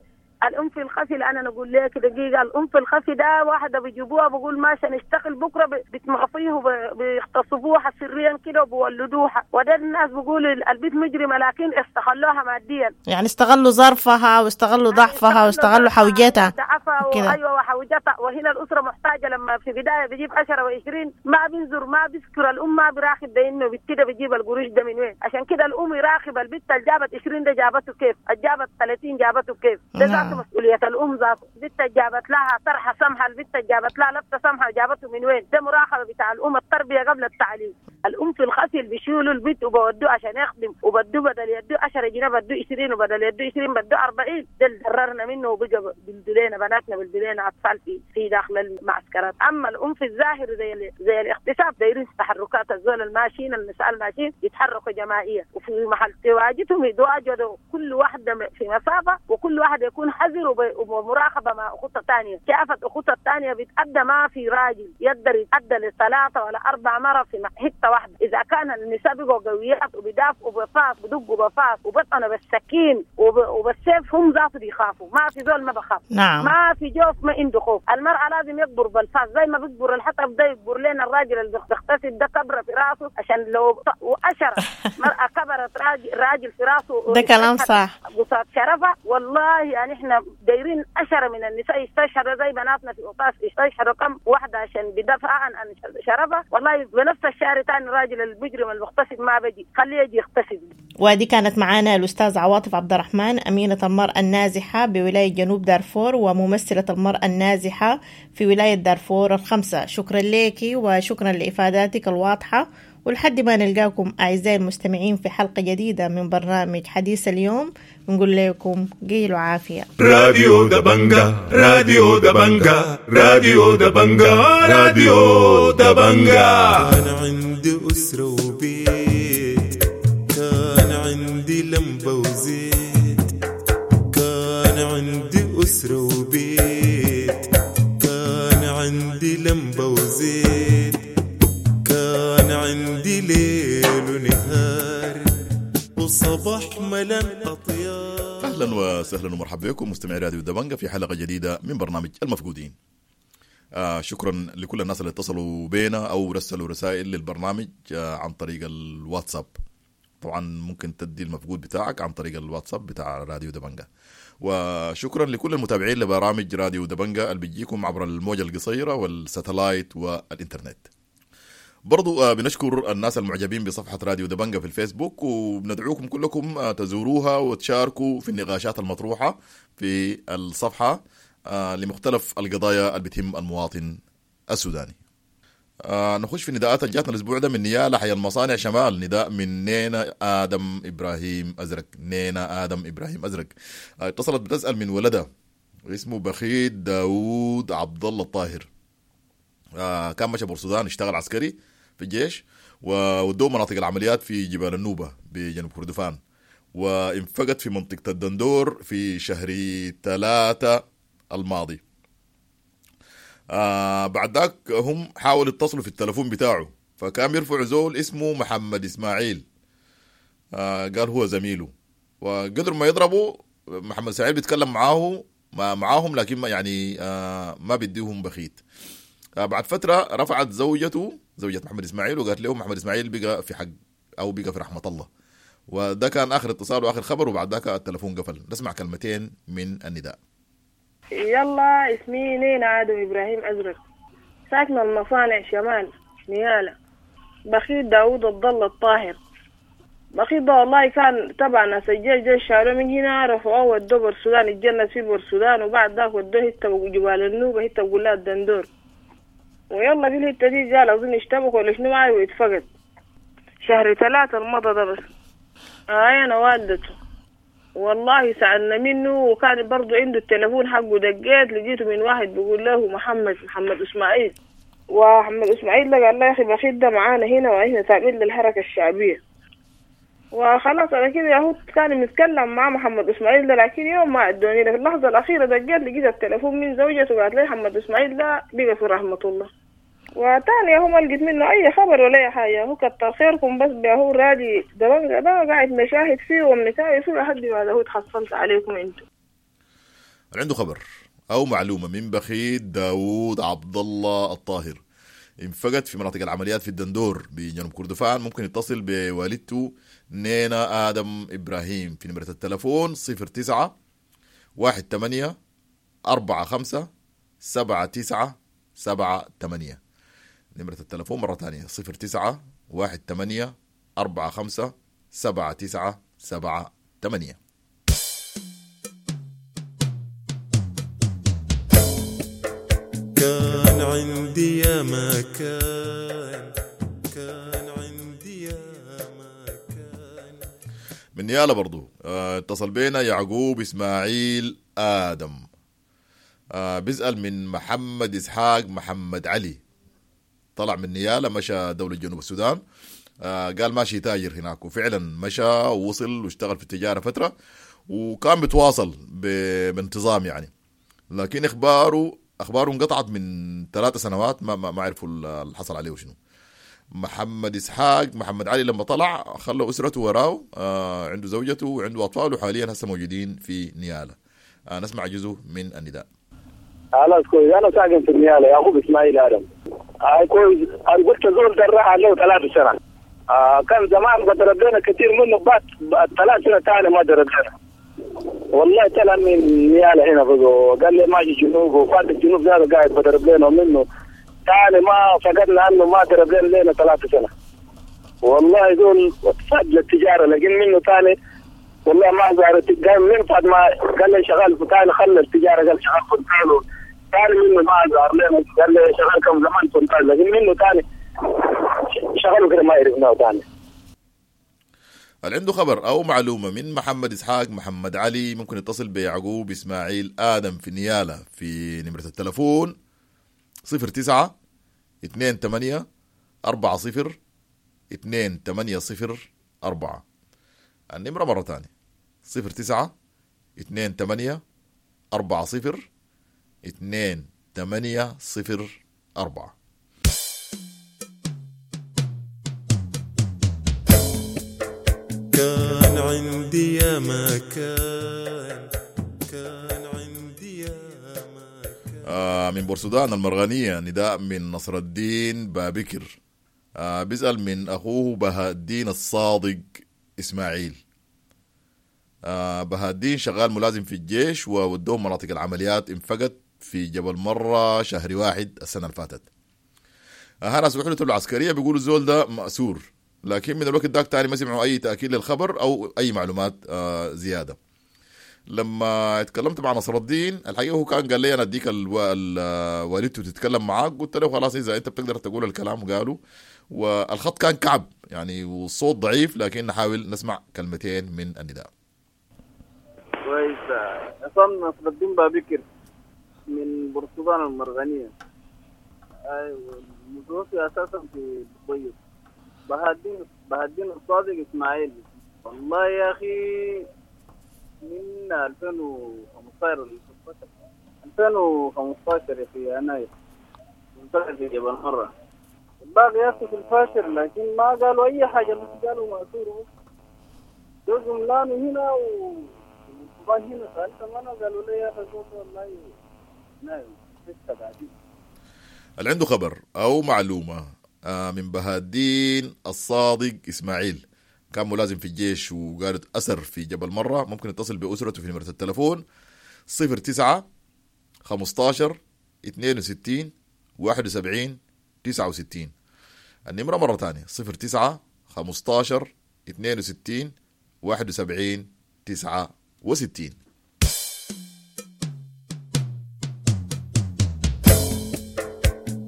الأم في الخفي اللي أنا نقول لك دقيقة، الأم في الخفي ده واحدة بيجيبوها بقول ماشي نشتغل بكرة، بتمغفيه وبيغتصبوها سريا كده وبيولدوها، وده الناس بيقولوا البيت مجرمة لكن استغلوها ماديا، يعني استغلوا ظرفها واستغلوا ضعفها واستغلوا حوجتها ضعفها، أيوة وحوجتها. وهنا الأسرة محتاجة، لما في بداية بيجيب عشرة وعشرين ما بينظر ما بيذكر الأم، ما بيراقب ده إنه كده بيجيب القروش ده من وين. عشان كده الأم يراقب البت اللي جابت عشرين ده جابته كيف، اللي جابت ثلاثين جابته كيف، ده مسؤولية الأم ذاته. البت جابت لها طرحة سمحة، البت جابت لها لبسة سمحة، جابته من وين؟ ده مراقبة بتاع الأم، التربية قبل التعليم. الأم في الخفي هسي اللي بيشيلوا البيت وبودوه عشان يخدم، وبدوه بدل يدوه عشرة جنيه بدوه عشرين، وبدل يدوه عشرين بدوه أربعين. ده اللي ضررنا منه، وبقى بلدلينا بناتنا بلدلينا اطفال في في داخل المعسكرات. اما العنف الظاهر زي زي الاغتصاب دايرين تحركات الزول الماشيين، النساء الماشيين يتحركوا جماعية، وفي محل تواجدهم يتواجدوا كل واحدة في مسافة، وكل واحد يكون حذر ومراقبة مع اخوتها الثانية. شافت اخوتها الثانية بتأدى، ما في راجل يقدر يتأدى لثلاثة ولا اربع مرة في حتة واحدة. اذا كان النساء بقوا قويات وبيدافعوا بفاس، بدقوا بفاس وبطنوا بالسكين وبالسيف، هم ذاته بيخافوا. ما في زول ما بخاف. نعم. ما في جوف ما عنده خوف. المرأة لازم يكبر بالفاس زي ما بيكبر الحطب ده، يكبر لنا الراجل اللي بيغتصب ده كبره في راسه، عشان لو وأشرة مرأة كبرت راجل راجل في راسه. ده كلام صح. قصاد شرفه. والله يعني احنا دايرين أشرة من النساء يستشهدوا زي بناتنا في أطاس، يستشهدوا كم واحدة عشان بدافع عن عن شرفه. والله بنفس الشهر تاني الراجل المجرم المغتصب ما بيجي، خليه يجي يغتصب. ودي كانت معانا الأستاذ عواطف عبد الرحمن، أمينة المرأة النازحة بولاية جنوب دارفور وممثلة المرأة النازحة في ولاية دارفور الخمسة. شكرا لك وشكرا لإفاداتك الواضحة، ولحد ما نلقاكم أعزائي المستمعين في حلقة جديدة من برنامج حديث اليوم، نقول لكم قيلوا عافية. راديو دبنجا، راديو دبنجا، راديو دبنجا، راديو دبنجا. كان عندي أسرة وبيت، كان عندي لمبة وزيت، كان عندي أسرة وبيت، كان عندي لمبة وزيت، كان عندي ليل ونهار وصباح ملان أطيار. أهلا وسهلا ومرحبا بكم مستمعي راديو دبنجا في حلقة جديدة من برنامج المفقودين. آه شكرا لكل الناس اللي اتصلوا بينا أو رسلوا رسائل للبرنامج آه عن طريق الواتساب. طبعا ممكن تدي المفقود بتاعك عن طريق الواتساب بتاع راديو دبنجا. وشكرا لكل المتابعين لبرامج راديو دبنجا اللي بيجيكم عبر الموجة القصيرة والساتلايت والإنترنت. برضو بنشكر الناس المعجبين بصفحة راديو دبنجا في الفيسبوك، وبندعوكم كلكم تزوروها وتشاركوا في النقاشات المطروحة في الصفحة لمختلف القضايا اللي بتهم المواطن السوداني. نخش في نداءات اللي جاتنا الأسبوع ده من نيالا حي المصانع شمال، نداء من نينا آدم إبراهيم أزرق. نينا آدم إبراهيم أزرق اتصلت بتسأل من ولدها اسمه بخيت داود عبد الله الطاهر. كان مشى بورسودان، اشتغل عسكري في الجيش وودوه مناطق العمليات في جبال النوبة بجنوب كردفان، وانفقد في منطقة الدندور في شهر ثلاثة الماضي. آه بعد ذاك هم حاولوا يتصلوا في التلفون بتاعه، فكان يرفع زول اسمه محمد إسماعيل، آه قال هو زميله، وقدر ما يضربوا محمد إسماعيل بيتكلم معاه معاهم، لكن ما يعني آه ما بيديهم بخيت. آه بعد فترة رفعت زوجته، زوجة محمد إسماعيل، وقالت له محمد إسماعيل بقى في حق أو بقى في رحمة الله. وده كان آخر اتصال وآخر خبر، وبعد ذاك التلفون قفل. نسمع كلمتين من النداء. يلا، اسمي نينا آدم إبراهيم أزرق، ساكنة المصانع شمال نيالة. بخيت داود عبد الله الطاهر. بخيت ده والله كان تبع ناس الجيش، جيش شالوه من هنا رفعوه ودوه بورسودان، اتجند في بورسودان، وبعد ذاك ودوه حتة جبال النوبة، حتة بقول لها الدندور. ويلا في الحتة دي قال أظن اشتبك ولا شنو معي واتفقد شهر ثلاثة المضى ده بس. آه أنا والدته والله سألنا منه، وكان برضو عنده التلفون حقه، دقيت لقيته من واحد بيقول له محمد محمد إسماعيل، ومحمد إسماعيل ده قال له يا أخي بخيت ده معانا هنا وإحنا تابعين للحركة الشعبية. وخلاص أنا كده ياهو كان متكلم مع محمد إسماعيل ده، لكن يوم ما أدوني في اللحظة الأخيرة دقيت لقيت التلفون من زوجته وقالت لي محمد إسماعيل ده بقى في رحمة الله. وتاني هو ما لقيت منه أي خبر ولا أي حاجة. هو كتر خيركم بس هو رادي دبنجة ده قاعد مشاهد فيه ومنتاي فيه لحد ما هو تحصلت عليكم انتو. عنده خبر أو معلومة من بخيت داود عبد الله الطاهر انفقد في مناطق العمليات في الدندور بجنوب كردفان، ممكن يتصل بوالدته نينا آدم إبراهيم في نمرة التلفون صفر تسعة واحد ثمانية أربعة خمسة سبعة تسعة سبعة ثمانية. نمرة التلفون مرة ثانية صفر تسعة واحد ثمانية أربعة خمسة سبعة تسعة سبعة ثمانية. كان عندي يا ما كان، كان عندي يا من نيالا برضو آه، اتصل بينا يعقوب اسماعيل ادم. آه، بيسأل من محمد اسحاق محمد علي، طلع من نيالا مشى دولة جنوب السودان. آه، قال ماشي تاجر هناك، وفعلا مشى ووصل واشتغل في التجارة فترة، وكان بيتواصل ب- بانتظام يعني، لكن اخباره اخباره انقطعت من ثلاث سنوات، ما ما, ما عرفوا اللي حصل عليه شنو. محمد اسحاق محمد علي لما طلع خلى اسرته وراه، آه عنده زوجته وعنده اطفال، وحاليا هسه موجودين في نيالا. آه نسمع جزء من النداء. خلاص كويس، انا ساكن في نيالا، يعقوب اسماعيل ادم. آه كويس، انا قلت زول ده راح له ثلاث سنة. آه كان زمان ضرب لنا كثير منه، بعد بعد ثلاث سنة ثاني ما ضرب لنا. والله طلع من نيالا هنا بقى، قال لي ماشي جنوب، وفات الجنوب ده قاعد بضرب لنا منه. ثاني ما فقدنا انه ما ضرب لنا لنا ثلاث سنة. والله زول فات للتجارة، لكن منه ثاني والله ما زارت. قال من بعد ما قال لي شغال ثاني خلى التجارة، قال شغال فنتال ثاني منه ما ظهر لنا. قال لي شغال كم زمان فنتال، لكن منه ثاني شغله كده ما عرفناه ثاني. اللي عنده خبر او معلومة من محمد اسحاق محمد علي ممكن يتصل بيعقوب اسماعيل ادم في نيالا في نمره التلفون صفر تسعة اثنين ثمانية أربعة صفر اثنين ثمانية صفر أربعة. النمرة مرة ثانية صفر تسعة اثنين ثمانية أربعة صفر اثنين ثمانية صفر أربعة. كان عندي يا ما كان، كان عندي يا ما كان. آه من بورسودان المرغنية نداء من نصر الدين بابكر. آه بيسأل من أخوه بهاء الدين الصادق إسماعيل. آه بهاء الدين شغال ملازم في الجيش، وودوه مناطق العمليات، انفقد في جبل مرة شهر واحد السنة اللي فاتت. آه ناس وحدته العسكرية بيقولوا الزول ده مأسور، لكن من الوقت داك تاني ما سمعوا أي تأكيد للخبر أو أي معلومات آه زيادة. لما اتكلمت مع نصر الدين الحقيقة هو كان قال لي أنا أديك الو... ال... والدته تتكلم معاك، قلت له خلاص إذا أنت بتقدر تقول الكلام قالوا، والخط كان كعب يعني والصوت ضعيف، لكن نحاول نسمع كلمتين من النداء. كويس، عصام نصر الدين بابكر من بورسودان المرغنية. أيوة، متوفي أساسا في البيض. بهاء الدين بهاء الدين الصادق إسماعيل. والله يا أخي من ألفين وخمستاشر ألفين وخمستاشر في يناير انتقل في جبل مرة. الباقي يا أخي في الفاشر، لكن ما قالوا أي حاجة، بس قالوا مأسور بس. جزء هنا و هنا سألت أنا قالوا لي يا أخي والله نايم لسه قاعدين. اللي عنده خبر أو معلومة من بهاء الدين الصادق إسماعيل، كان ملازم في الجيش وقالت أسر في جبل مرة، ممكن يتصل بأسرته في نمرة التلفون صفر تسعة خمستاشر اثنين وستين واحد وسبعين تسعة وستين. النمرة مرة تانية صفر تسعة خمستاشر اثنين وستين واحد وسبعين تسعة وستين.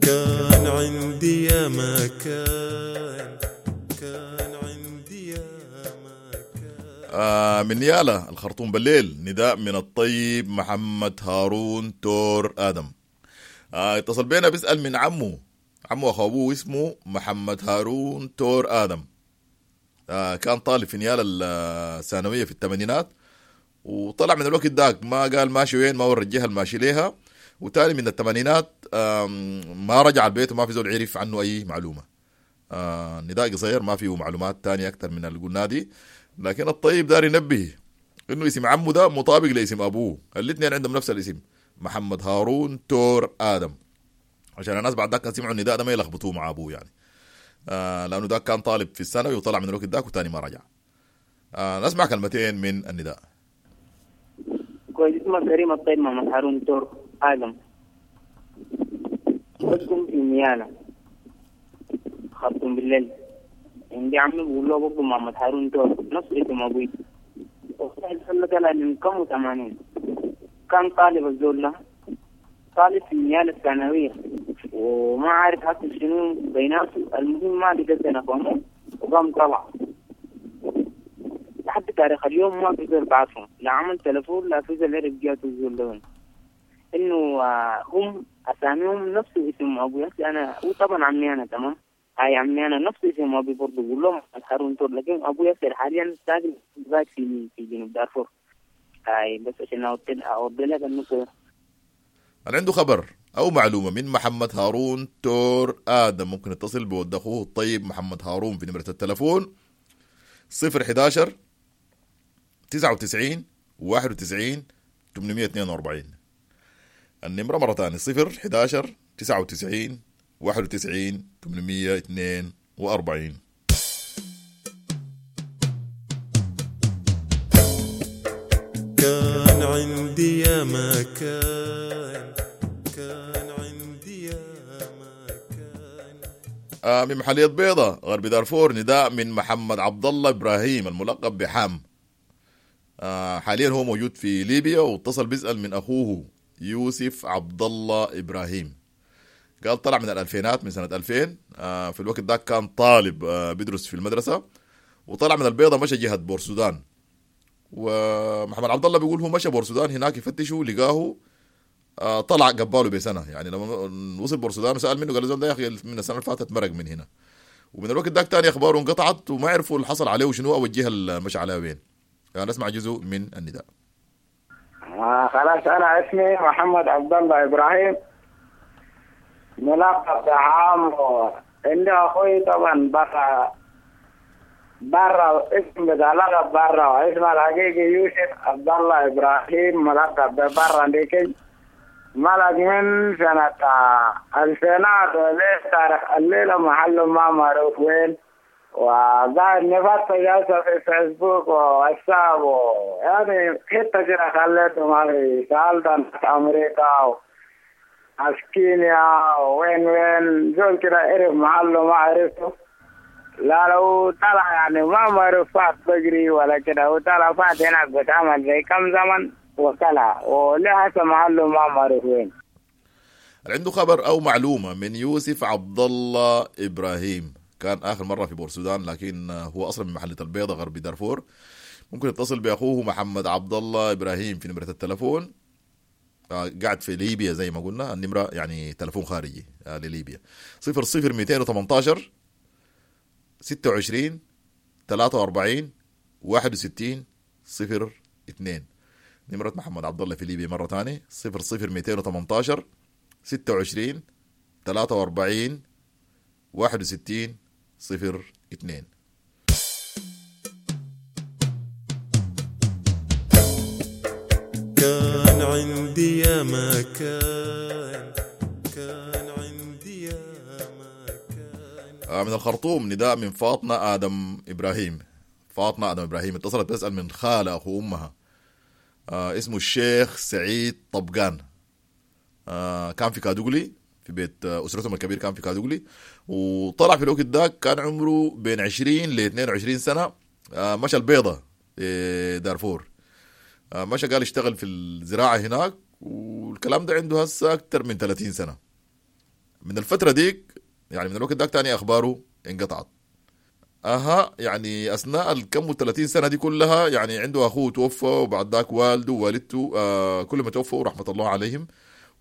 كان عندي يا ما كان، كان عندي يا ما كان. آه من نيالا الخرطوم بالليل نداء من الطيب محمد هارون تور آدم. آه اتصل بينا بيسأل من عمه، عمه أخو أبوه اسمه محمد هارون تور آدم. آه كان طالب في نيالا الثانوية في الثمانينات، وطلع من الوقت داك ما قال ماشي وين، ما ورى الجهة الماشي ليها، وتالي من الثمانينات ما رجع البيت وما في زول عرف عنه أي معلومة. آه نداء قصير ما فيه معلومات تانية أكتر من اللي قلنا دي، لكن الطيب دار ينبه إنه اسم عمه ده مطابق لاسم أبوه، الاثنين عندهم نفس الاسم محمد هارون تور آدم، عشان الناس بعد ذاك سمعوا النداء ده ما يلخبطوه مع أبوه يعني. آه لأنه ده كان طالب في الثانوي وطلع من الوقت داك وتاني ما رجع. آه نسمع كلمتين من النداء. كويس، اسمه كريم الطيب محمد هارون تور آدم، بسكن في نيالا خرطوم بالليل. عندي عمي بقول له برضه محمد هارون تور نفس اسم أبوي. والله طلع من كم وثمانين، كان طالب الزول ده طالب في نيالا الثانوية، وما عارف حصل شنو بيناته. المهم ما قدرت أفهمه وقام طلع لحد لتاريخ اليوم ما في زول بعرفهم، لا عمل تلفون لا في زول عرف جاته الزول ده وين. انه آه، هم اساميهم نفس اسم ابوي. هسه انا هو طبعا عمي انا تمام، هاي عمي انا نفس اسم ابوي برضه، بقول لهم هارون تور، لكن ابوي هسه حاليا ساكن في في جنوب دارفور. هاي بس عشان اوضح لك النقطه. اللي عنده خبر أو معلومة من محمد هارون تور آدم ممكن يتصل بود أخوه الطيب محمد هارون في نمرة التلفون صفر حداشر تسعة وتسعين واحد وتسعين تمنمية اتنين وأربعين. النمرة مرة تانية صفر حداشر تسعة وتسعين واحد وتسعين تمنمية اتنين وأربعين. كان عندي يا ما كان، كان عندي يا ما كان. آه من محلية بيضة غرب دارفور نداء من محمد عبد الله إبراهيم الملقب بحام. آه حاليا هو موجود في ليبيا، واتصل بيسأل من أخوه يوسف عبد الله إبراهيم. قال طلع من الألفينات، من سنة ألفين. آه في الوقت ده كان طالب آه بيدرس في المدرسة، وطلع من البيضة مشى جهة بورسودان. ومحمد عبد الله بيقول هو مشى بورسودان هناك يفتشه لقاه آه طلع قباله بسنة. يعني لما وصل بورسودان وسأل منه قال له ده يا أخي من السنة اللي فاتت مرق من هنا. ومن الوقت ده تاني أخباره انقطعت وما عرفوا اللي حصل عليه وشنو أو الجهة اللي مشى عليها وين. يعني نسمع جزء من النداء. آه خلاص، أنا اسمي محمد عبد الله إبراهيم ملقب بعام. عندي أخوي طبعا برا برا، اسم بتاع لقب برا، اسمه الحقيقي يوسف عبد الله إبراهيم ملقب ببرا. لكن ملك من سنة الفينات وليه تاريخ الليلة محله ما معروف وين، وقاعد نفتش جالسة في فيسبوك وواتساب يعني حتة كده خليته ما في. سألت أمريكا وناس كينيا وين وين زول كده عرف محله ما عرفته. لا لو طلع يعني ما معروف فات بجري ولا كده، وطلع فات هناك بتعمل زي كم زمن وطلع وليه هسه محله ما معروف وين. عنده خبر أو معلومة من يوسف عبد الله إبراهيم، كان آخر مرة في بورسودان لكن هو أصلا من محلة البيضة غرب دارفور. ممكن يتصل بأخوه محمد عبد الله إبراهيم في نمرة التلفون. قاعد في ليبيا زي ما قلنا، النمرة يعني تلفون خارجي لليبيا صفر صفر مئتين وثمانتاشر ستة وعشرين ثلاثة وأربعين واحد وستين صفر اثنين. نمرة محمد عبد الله في ليبيا مرة تانية صفر صفر مئتين وثمانتاشر ستة وعشرين ثلاثة وأربعين واحد وستين صفر اثنين. كان عندي يا ما كان، كان عندي يا ما كان. من الخرطوم نداء من فاطمة آدم إبراهيم. فاطمة آدم إبراهيم اتصلت تسأل من خالة أخو أمها آه اسمه الشيخ سعيد طبقان. آه كان في كادوغلي، في بيت أسرتهم الكبير كان في كادوغلي، وطلع في الوقت ده كان عمره بين عشرين ل اثنين وعشرين سنة. مشى البيضة دارفور، مشى قال اشتغل في الزراعة هناك، والكلام ده عنده هسه أكتر من ثلاثين سنة. من الفترة ديك يعني من الوقت ده تاني أخباره انقطعت. أها يعني أثناء الكم ثلاثين سنة دي كلها يعني عنده أخوه توفى، وبعد ذاك والده ووالدته آه كل ما توفوا رحمة الله عليهم،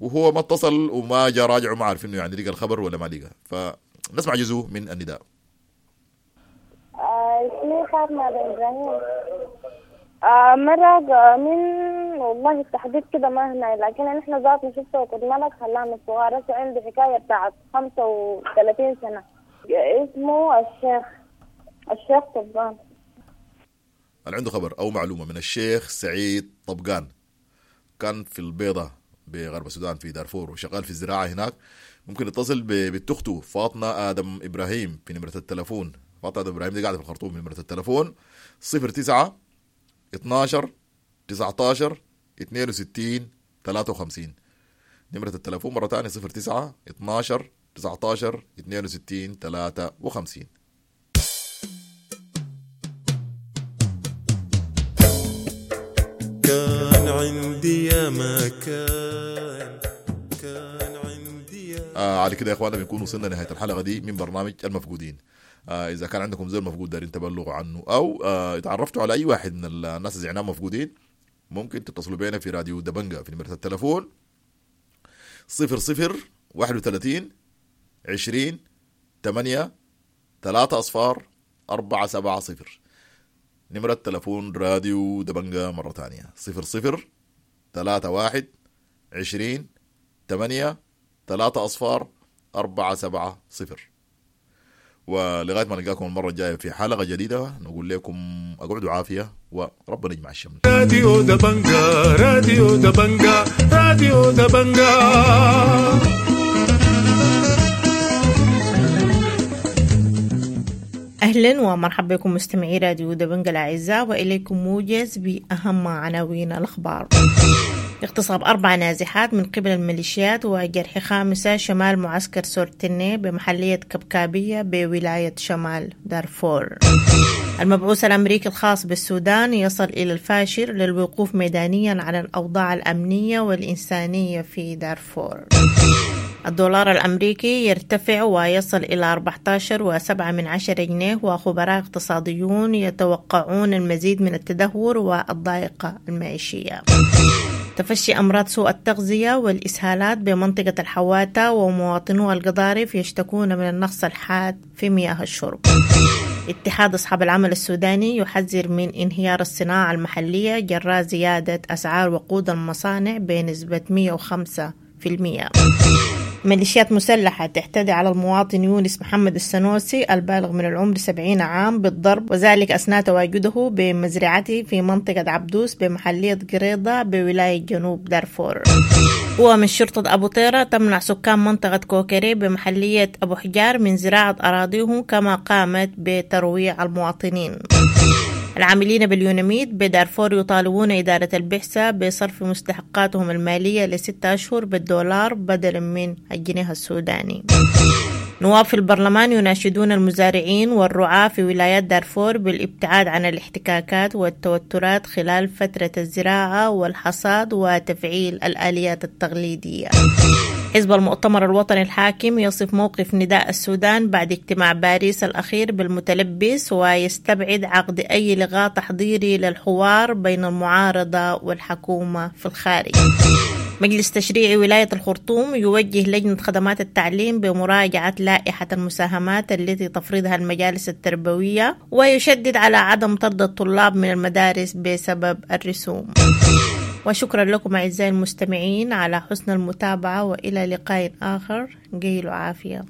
وهو ما اتصل وما جاء راجع وما عارف انه يعني لقى الخبر ولا ما لقى. فنسمع جزء من النداء. اسمي فاطمة إبراهيم. آه مرق من والله التحديد كده ما هنا، لكن نحن ذاتنا شفته وكنت ملك خلانا صغار. هسه عنده حكاية بتاعت خمسة وثلاثين سنة. اسمه الشيخ الشيخ طبقان. اللي عنده خبر أو معلومة من الشيخ سعيد طبقان، كان في البيضة بغرب السودان في دارفور وشغال في الزراعة هناك، ممكن يتصل ببنت أخته فاطمة آدم إبراهيم في نمرة التلفون. فاطمة آدم إبراهيم دي قاعدة في الخرطوم. نمرة التلفون صفر تسعة اتناشر تسعتاشر اتنين وستين تلاتة وخمسين. نمرة التلفون مرة تانية صفر تسعة اتناشر تسعتاشر اتنين وستين تلاتة وخمسين. كان عندي يا ما كان، كان عندي يا آه على كده يا اخوانا بنكون وصلنا نهاية الحلقة دي من برنامج المفقودين. آه اذا كان عندكم زول مفقود دارين تبلغوا عنه، او آه اتعرفتوا على اي واحد من الناس اللي زعناهم مفقودين، ممكن تتصلوا بينا في راديو دبنجة في نمرة التلفون صفر صفر واحد وثلاثين عشرين ثمانية ثلاثة أصفار أربعة سبعة صفر. نمرة تلفون راديو دبنجة مرة تانية صفر صفر ثلاثة واحد عشرين ثمانية ثلاثة أصفار أربعة سبعة صفر. ولغاية ما نلقاكم المرة الجاية في حلقة جديدة، نقول لكم أقعدوا عافية وربنا يجمع الشمل. راديو دبنجة، راديو دبنجة، راديو دبنجة. أهلا ومرحبا بكم مستمعي راديو دبنجة الأعزاء، وإليكم موجز بأهم عناوين الأخبار. اغتصاب أربع نازحات من قبل الميليشيات وجرح خامسة شمال معسكر سورتيني بمحلية كبكابية بولاية شمال دارفور. المبعوث الأمريكي الخاص بالسودان يصل إلى الفاشر للوقوف ميدانيا على الأوضاع الأمنية والإنسانية في دارفور. الدولار الأمريكي يرتفع ويصل إلى أربعة عشر وسبعة من عشرة جنيه، وخبراء اقتصاديون يتوقعون المزيد من التدهور والضائقة المعيشية. تفشي أمراض سوء التغذية والإسهالات بمنطقة الحواتة، ومواطنو القضارف يشتكون من النقص الحاد في مياه الشرب. اتحاد أصحاب العمل السوداني يحذر من انهيار الصناعة المحلية جراء زيادة أسعار وقود المصانع بنسبة مئة وخمسة بالمئة. ميليشيات مسلحة تعتدي على المواطن يونس محمد السنوسي البالغ من العمر سبعين عام بالضرب، وذلك أثناء تواجده بمزرعته في منطقة عبدوس بمحلية قريضة بولاية جنوب دارفور. ومن شرطة أبو طيرة تمنع سكان منطقة كوكري بمحلية أبو حجار من زراعة أراضيهم، كما قامت بترويع المواطنين. العاملين باليوناميد بدارفور يطالبون إدارة البعثة بصرف مستحقاتهم المالية لستة أشهر بالدولار بدلا من الجنيه السوداني. نواب في البرلمان يناشدون المزارعين والرعاة في ولايات دارفور بالابتعاد عن الاحتكاكات والتوترات خلال فترة الزراعة والحصاد وتفعيل الآليات التقليدية. حزب المؤتمر الوطني الحاكم يصف موقف نداء السودان بعد اجتماع باريس الأخير بالمتلبس، ويستبعد عقد أي لقاء تحضيري للحوار بين المعارضة والحكومة في الخارج. مجلس تشريعي ولاية الخرطوم يوجه لجنة خدمات التعليم بمراجعة لائحة المساهمات التي تفرضها المجالس التربوية، ويشدد على عدم طرد الطلاب من المدارس بسبب الرسوم. وشكرا لكم أعزائي المستمعين على حسن المتابعة، وإلى لقاء آخر. قيلوا عافية.